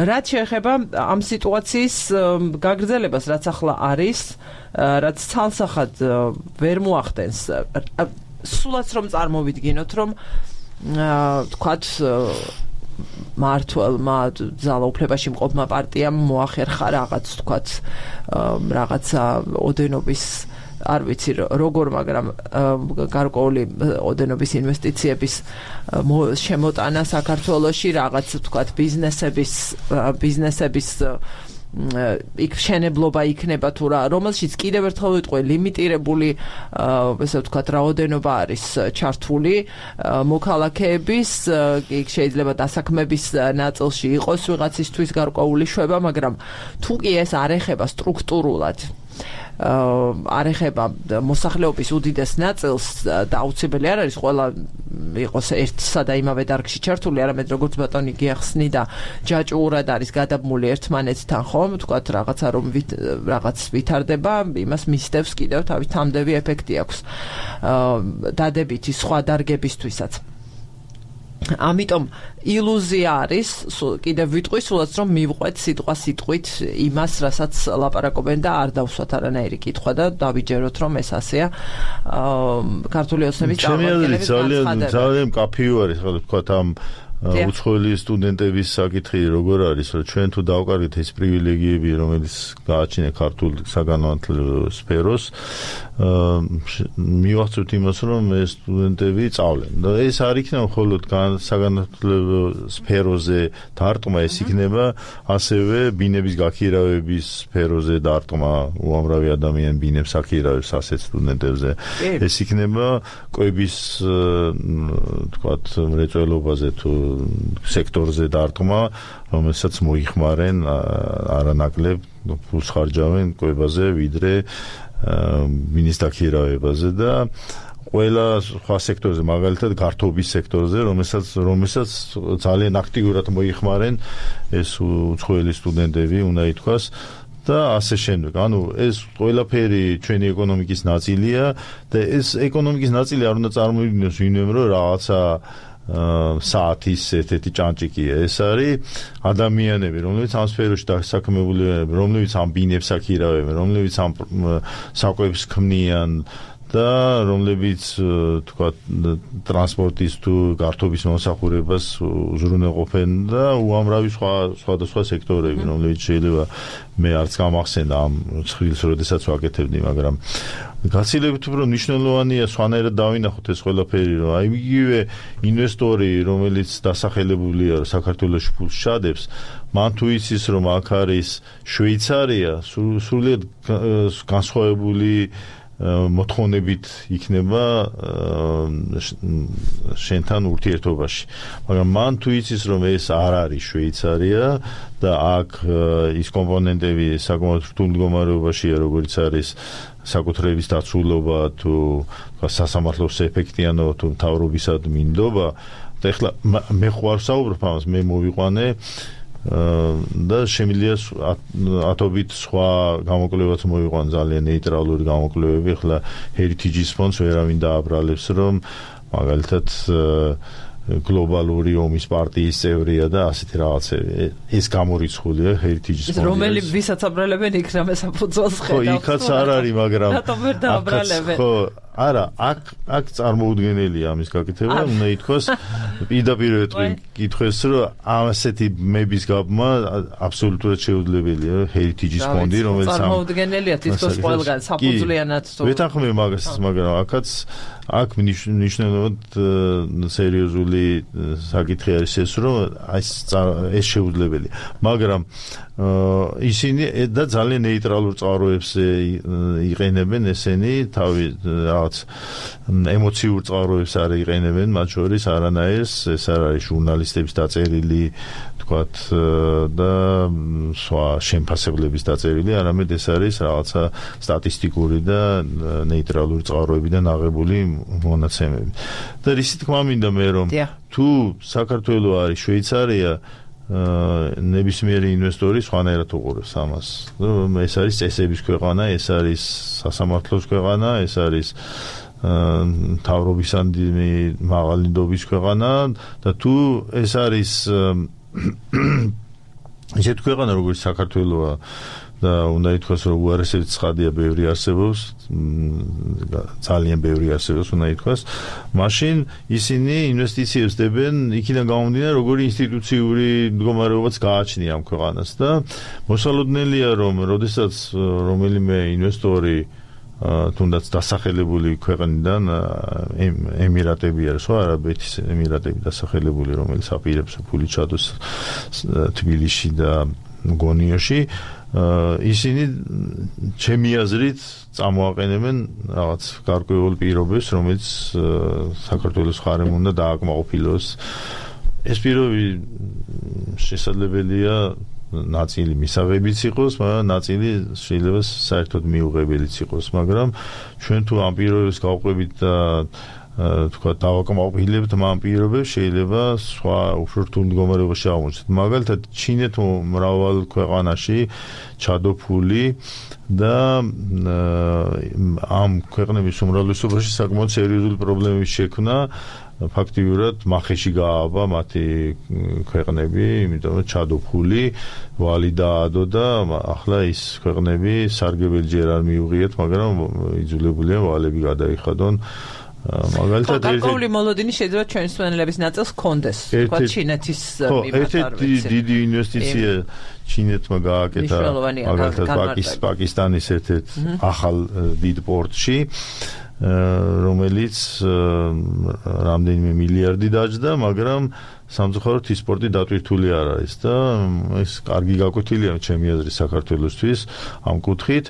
რაც შეეხება ამ სიტუაციის გაგრძელებას რაც ახლა არის რაც ცალსახად ვერ მოახდენს სულაც რომ წარმოვიდგინოთ რომ ვთქვათ მართლმა ძალაუფლებაში მყოფმა პარტიამ მოახერხა რაღაც ვთქვათ რაღაცა ოდენობის არ ვიცი როგორ მაგრამ გარკვეული ოდენობის ინვესტიციების შემოტანა საქართველოში რაღაც ვთქვათ ბიზნესების ბიზნესების იქ შენებლობა იქნება თუ რა რომელშიც კიდევ ერთხელ ვიტყვი ლიმიტირებული ესე ვთქვათ რაოდენობა არის ჩართული მოქალაქეების იქ შეიძლება დასაქმების ნაწილში იყოს ვიღაცისთვის გარკვეული შვება მაგრამ თუ კი ეს არ ეხება სტრუქტურულად არ ეხება მოსახლეობის უდიდეს ნაწილს და აუცილებელი არ არის ყველა იყოს ერთსა და იმავე დარგში ჩართული არამედ როგორც ბატონი გიახსნი და ჯაჭვურად არის გადაბმული ერთმანეთთან ხომ თქვათ რაღაცა რომ რაღაც ვითარდება იმას მისდევს კიდევ თავის თამდევი ეფექტი აქვს დადებითი სხვა დარგებისთვისაც ამიტომ ილუზია არის კიდევ ვიტყვი სულაც რომ მივყვეთ სიტყვა სიტყვით იმას რასაც ლაპარაკობენ და არ დავსვათ არანაირი კითხვა და დავიჯეროთ რომ ეს ასეა ქართული ოცნების
წარმომადგენლები ძალიან ძალიან კაფეო არის ხო ვთქვათ ამ უცხოელი სტუდენტების საკითხი როგორ არის რომ ჩვენ თუ დავკარგეთ ეს პრივილეგიები რომელიც გააჩნია ქართულ საგანმანათლებლო სფეროს მივახცევთ იმას რომ ეს სტუდენტები სწავლენ და ეს არ იქნება მხოლოდ საგანმანათლებლო სფეროზე დარტყმა ეს იქნება ასევე ბინების გაქირავების სფეროზე დარტყმა უამრავი ადამიანი ბინებს აქირავებს ასეთ სტუდენტებზე ეს იქნება კვების თქვათ მრეწველობაზე თუ სექტორზე დარტყმა, რომელსაც მოიხმარენ არანაკლებ ფულს ხარჯავენ კვებაზე, ვიდრე მინის დაქირავებაზე და ყველა სხვა სექტორზე, მაგალითად გართობის სექტორზე, რომელსაც რომელსაც ძალიან აქტიურად მოიხმარენ ეს უცხოელი სტუდენტები, უნდა ითქვას და ასე შემდეგ. ანუ ეს ყველაფერი ჩვენი ეკონომიკის ნაწილია და ეს ეკონომიკის ნაწილი არ უნდა წარმოიდგინოს ვინმე რომ რაღაცა საათის ერთ-ერთი ჭანჭიკია. ეს არის ადამიანები, რომლებიც ამ სფეროში დასაქმებულები, რომლებიც ამ ბინებს აქირავენ, რომლებიც ამ საკვებს ქმნიან და რომლებიც თქვა ტრანსპორტის თუ გართობის მომსახურებას უზრუნველყოფენ და უამრავი სხვა სხვადასხვა სექტორები, რომლებიც შეიძლება მე არც გამახსენდა ამ ცხრილს, როდესაც ვაკეთებდი, მაგრამ გაცილებით უფრო მნიშვნელოვანია სხვანაირად დავინახოთ ეს ყველაფერი, რომ აი იგივე ინვესტორი, რომელიც დასახელებულია საქართველოში ფულს ჩადებს, მან თუ იცის, რომ აქ არის შვეიცარია, სრულიად განსხვავებული მოთხოვნებით იქნება შენთან ურთიერთობაში. მაგრამ მან თუ იცის, რომ ეს არ არის შვეიცარია და აქ ის კომპონენტები საკმაოდ რთულ მდგომარეობაშია, როგორც არის საკუთრების დაცულობა თუ სასამართლოს ეფექტიანობა თუ მთავრობისადმი ნდობა და ეხლა მე ხوار საუბრობ ამას, მე მოვიყვანე და შემიძლია ათობით სხვა გამოკვლევაც მოვიყვან ძალიან ნეიტრალური გამოკვლევები. ახლა Heritage Funds ვერავინ დააბრალებს, რომ მაგალითად გლობალური ომის პარტიის წევრია და ასეთი რაღაცები. ეს გამორიცხულია Heritage Funds.
რომელი ვისაც აბრალებენ იქ რამე საფუძველს ხედავს.
ხო, იქაც არ არის, მაგრამ
რატომ ვერ დააბრალებენ?
ხო, არა, აქ აქ წარმოუდგენელია ამის გაკეთება, უნდა ითქვას პირდაპირ ეთქვეს, რომ ასეთი მების გაბმა აბსოლუტურად შეუძლებელია Heritage-ის ფონდი, რომელიც
წარმოუდგენელია თითქოს ყველგან საფუძვლიანად თუ
ვეთანხმები მაგას, მაგრამ აქაც აქ მნიშვნელოვნად სერიოზული საკითხი არის ეს, რომ ეს ეს შეუძლებელია. მაგრამ ისინი და ძალიან ნეიტრალურ წყაროებს იყენებენ ესენი, თავი რაღაც ემოციურ წყაროებს არ იყენებენ, მათ შორის არანაირს, ეს არ არის ჟურნალისტების დაწერილი, თქვათ და სხვა შემფასებლების დაწერილი, არამედ ეს არის რაღაცა სტატისტიკური და ნეიტრალური წყაროებიდან აღებული მონაცემები. და რისი თქმა მინდა მე რომ თუ საქართველო არის შვეიცარია ნებისმიერი ინვესტორი სხვანაირად უყურებს ამას. ეს არის წესების ქვეყანა, ეს არის სასამართლოს ქვეყანა, ეს არის მთავრობისადმი მაღალი ნდობის ქვეყანა და თუ ეს არის ისეთი ქვეყანა როგორც საქართველოა და უნდა ითქვას რომ უარესებით ცხადია ბევრი არსებობს, ძალიან ბევრი არსებობს უნდა ითქვას, მაშინ ისინი ინვესტიციებს დებენ იქიდან გამომდინარე როგორი ინსტიტუციური მდგომარეობაც გააჩნია ამ ქვეყანას და მოსალოდნელია რომ როდესაც რომელიმე ინვესტორი თუნდაც დასახელებული ქვეყნიდან ემირატები არის, ხო, არაბეთის ემირატები დასახელებული, რომელიც აპირებს ფული ჩადოს თბილისში და გონიოში, ისინი ჩემი აზრით წამოაყენებენ რაღაც გარკვეულ პირობებს, რომელიც საქართველოს ხარემ უნდა დააკმაყოფილოს. ეს პირობი შესაძლებელია ნაწილი მისაღებიც იყოს, მაგრამ ნაწილი შეიძლება საერთოდ მიუღებელიც იყოს, მაგრამ ჩვენ თუ ამ პირობებს გავყვებით და თქვა დავაკმაყოფილებთ ამ პირობებს, შეიძლება სხვა უფრო რთულ მდგომარეობაში აღმოჩნდეთ. მაგალითად, ჩინეთ მრავალ ქვეყანაში ჩადოფული და ამ ქვეყნების უმრავლესობაში საკმაოდ სერიოზული პრობლემების შექმნა ფაქტიურად მახეში გაავა მათი ქვეყნები, იმიტომ რომ ჩადოფული ვალი დაადო და ახლა ის ქვეყნები სარგებელი ჯერ არ მიუღიათ, მაგრამ იძულებულია ვალები გადაიხადონ. მაგალითად
გარკვეული მოლოდინი შეიძლება ჩვენი მსმენელების ნაწილს ჰქონდეს, თქვა ჩინეთის მიმართ.
ერთი დიდი ინვესტიცია ჩინეთმა გააკეთა მაგალითად პაკისტანის ერთ-ერთ ახალ დიდ პორტში, რომელიც რამდენიმე მილიარდი დაჯდა, მაგრამ სამწუხაროდ ის სპორტი დატვირთული არ არის და ეს კარგი გაკვეთილია ჩემი აზრით საქართველოსთვის ამ კუთხით.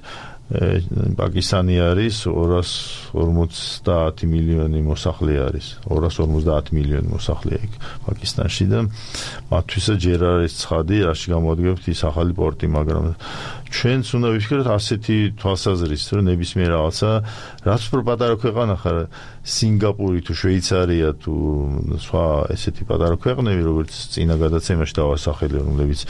პაკისტანი არის ორას ორმოცდაათი მილიონი მოსახლე არის, ორას ორმოცდაათი მილიონი მოსახლეა იქ პაკისტანში და მათთვისაც ჯერ არის ცხადი, რაში გამოადგებთ ის ახალი პორტი, მაგრამ ჩვენც უნდა ვიფიქროთ ასეთი თვალსაზრისით, რომ ნებისმიერ რაღაცა, რაც უფრო პატარა ქვეყანა ხარ, სინგაპური თუ შვეიცარია თუ სხვა ესეთი პატარა ქვეყნები, როგორც წინა გადაცემაში დავასახელე, რომლებიც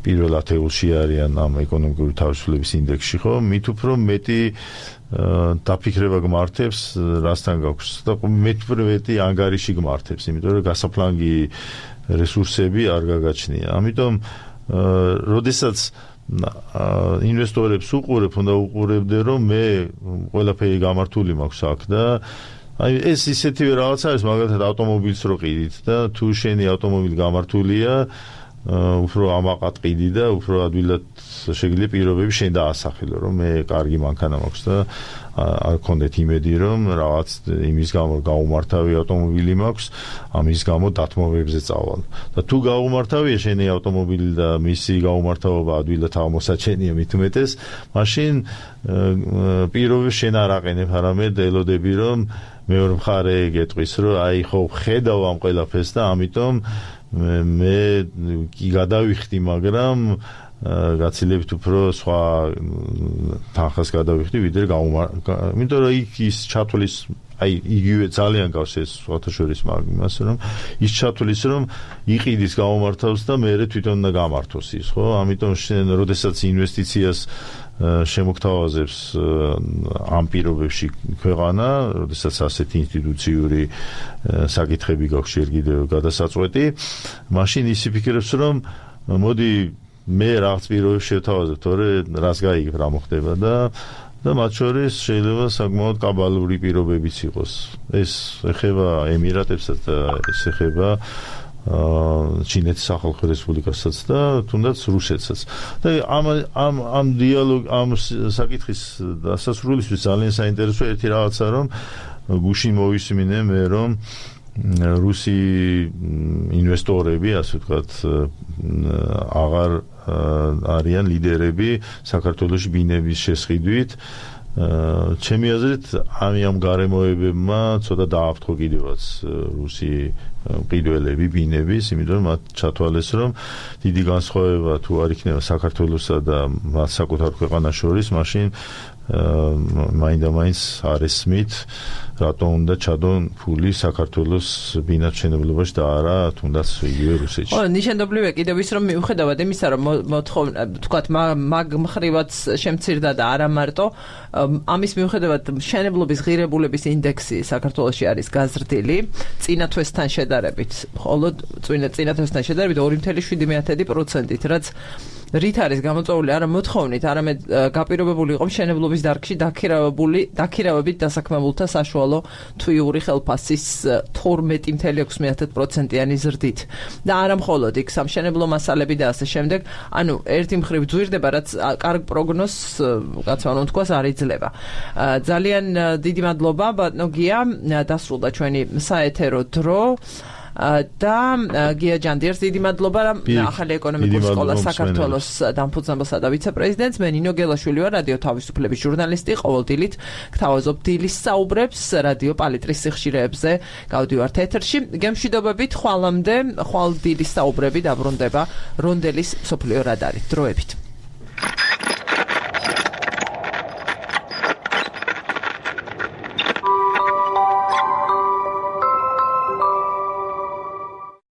პირველ ათეულში არიან ამ ეკონომიკური თავისუფლების ინდექსში, ხო, მით უფრო მეტი დაფიქრება გმართებს, რასთან გაქვს და მეტ უფრო მეტი ანგარიში გმართებს, იმიტომ რომ გასაფლანგი რესურსები არ გაგაჩნია. ამიტომ როდესაც ინვესტორებს უყურებ, უნდა უყურებდე, რომ მე ყველაფერი გამართული მაქვს აქ და აი ეს ისეთივე რაღაც არის, მაგალითად ავტომობილს რო ყიდით და თუ შენი ავტომობილი გამართულია, უფრო ამაყად ყიდი და უფრო ადვილად შეიძლება პირობები შენ დაასახელო, რომ მე კარგი მანქანა მაქვს და არ გქონდეთ იმედი, რომ რაღაც იმის გამო გაუმართავი ავტომობილი მაქვს, ამის გამო დათმობებზე წავალ. და თუ გაუმართავია შენი ავტომობილი და მისი გაუმართავობა ადვილად აღმოსაჩენია მით უმეტეს, მაშინ პირობებს შენ არ აყენებ, არამედ ელოდები, რომ მეორე მხარე გეტყვის, რომ აი ხო ხედავ ამ ყველაფერს და ამიტომ მე კი გადავიხდი, მაგრამ გაცილებით უფრო სხვა თანხას გადავიხდი, ვიდრე გაუმართ. იმიტომ რომ იქ ის ჩათვლის, აი იგივე ძალიან გავს ეს სხვათა შორის მაგას, რომ ის ჩათვლის, რომ იყიდის გაუმართავს და მე თვითონ უნდა გამართოს ის, ხო? ამიტომ შენ როდესაც ინვესტიციას შემოგთავაზებს ამ პირობებში ქვეყანა, როდესაც ასეთი ინსტიტუციური საკითხები გაქვს ჯერ კიდევ გადასაწყვეტი, მაშინ ის იფიქრებს, რომ მოდი მე რაღაც პირობებს შევთავაზებ, თორე რას გაიგებ რა მოხდება და და მათ შორის შეიძლება საკმაოდ კაბალური პირობებიც იყოს. ეს ეხება ემირატებსაც და ეს ეხება ჩინეთის სახალხო რესპუბლიკასაც და თუნდაც რუსეთსაც. და ამ ამ ამ დიალოგ ამ საკითხის დასასრულისთვის ძალიან საინტერესოა ერთი რაღაცა, რომ გუშინ მოვისმინე მე, რომ რუსი ინვესტორები, ასე ვთქვათ, აღარ არიან ლიდერები საქართველოში ბინების შესყიდვით. ჩემი აზრით, ამ გარემოებებმა ცოტა დააფრთხო კიდევაც რუსი მყიდველები ბინების, იმიტომ რომ მათ ჩათვალეს, რომ დიდი განსხვავება თუ არ იქნება საქართველოსა და მათ საკუთარ ქვეყანას შორის, მაშინ მაინდა-მაინც არ ესმით, რატომ უნდა ჩადონ ფული საქართველოს ბინათმშენებლობაში და არა თუნდაც იგივე რუსეთში.
ხო, ნიშანდობლივია კიდევ ის, რომ მიუხედავად იმისა, რომ მოთხოვნა, თქვათ, მაგ მხრივაც შემცირდა და არა მარტო, ამის მიუხედავად მშენებლობის ღირებულების ინდექსი საქართველოში არის გაზრდილი, წინა თვესთან შედარებით, მხოლოდ წინა თვესთან შედარებით ორი წუთი შვიდი პროცენტით, რაც რით არის გამოწვეული არა მოთხოვნით, არამედ გაპირობებული იყო მშენებლობის დარგში დაქირავებული, დაქირავებით დასაქმებულთა საშუალო თვიური ხელფასის თორმეტი წუთი ექვსი პროცენტიანი ზრდით. და არა მხოლოდ იქ სამშენებლო მასალები და ასე შემდეგ, ანუ ერთი მხრივ ძვირდება, რაც კარგ პროგნოზს, კაცმა უნდა თქვას, არ იძლევა. ძალიან დიდი მადლობა, ბატონო გია, დასრულდა ჩვენი საეთერო დრო. და გია ჯანდიერს დიდი მადლობა, რომ ახალი ეკონომიკური სკოლა საქართველოს დამფუძნებელსა და ვიცე-პრეზიდენტს, მე ნინო გელაშვილი ვარ, რადიო თავისუფლების ჟურნალისტი, ყოველდილით გთავაზობ დილის საუბრებს რადიო პალიტრის სიხშირეებზე, გავდივართ ეთერში. გემშვიდობებით, ხვალამდე, ხვალ დილის საუბრები დაბრუნდება რონდელის მსოფლიო რადარით. დროებით.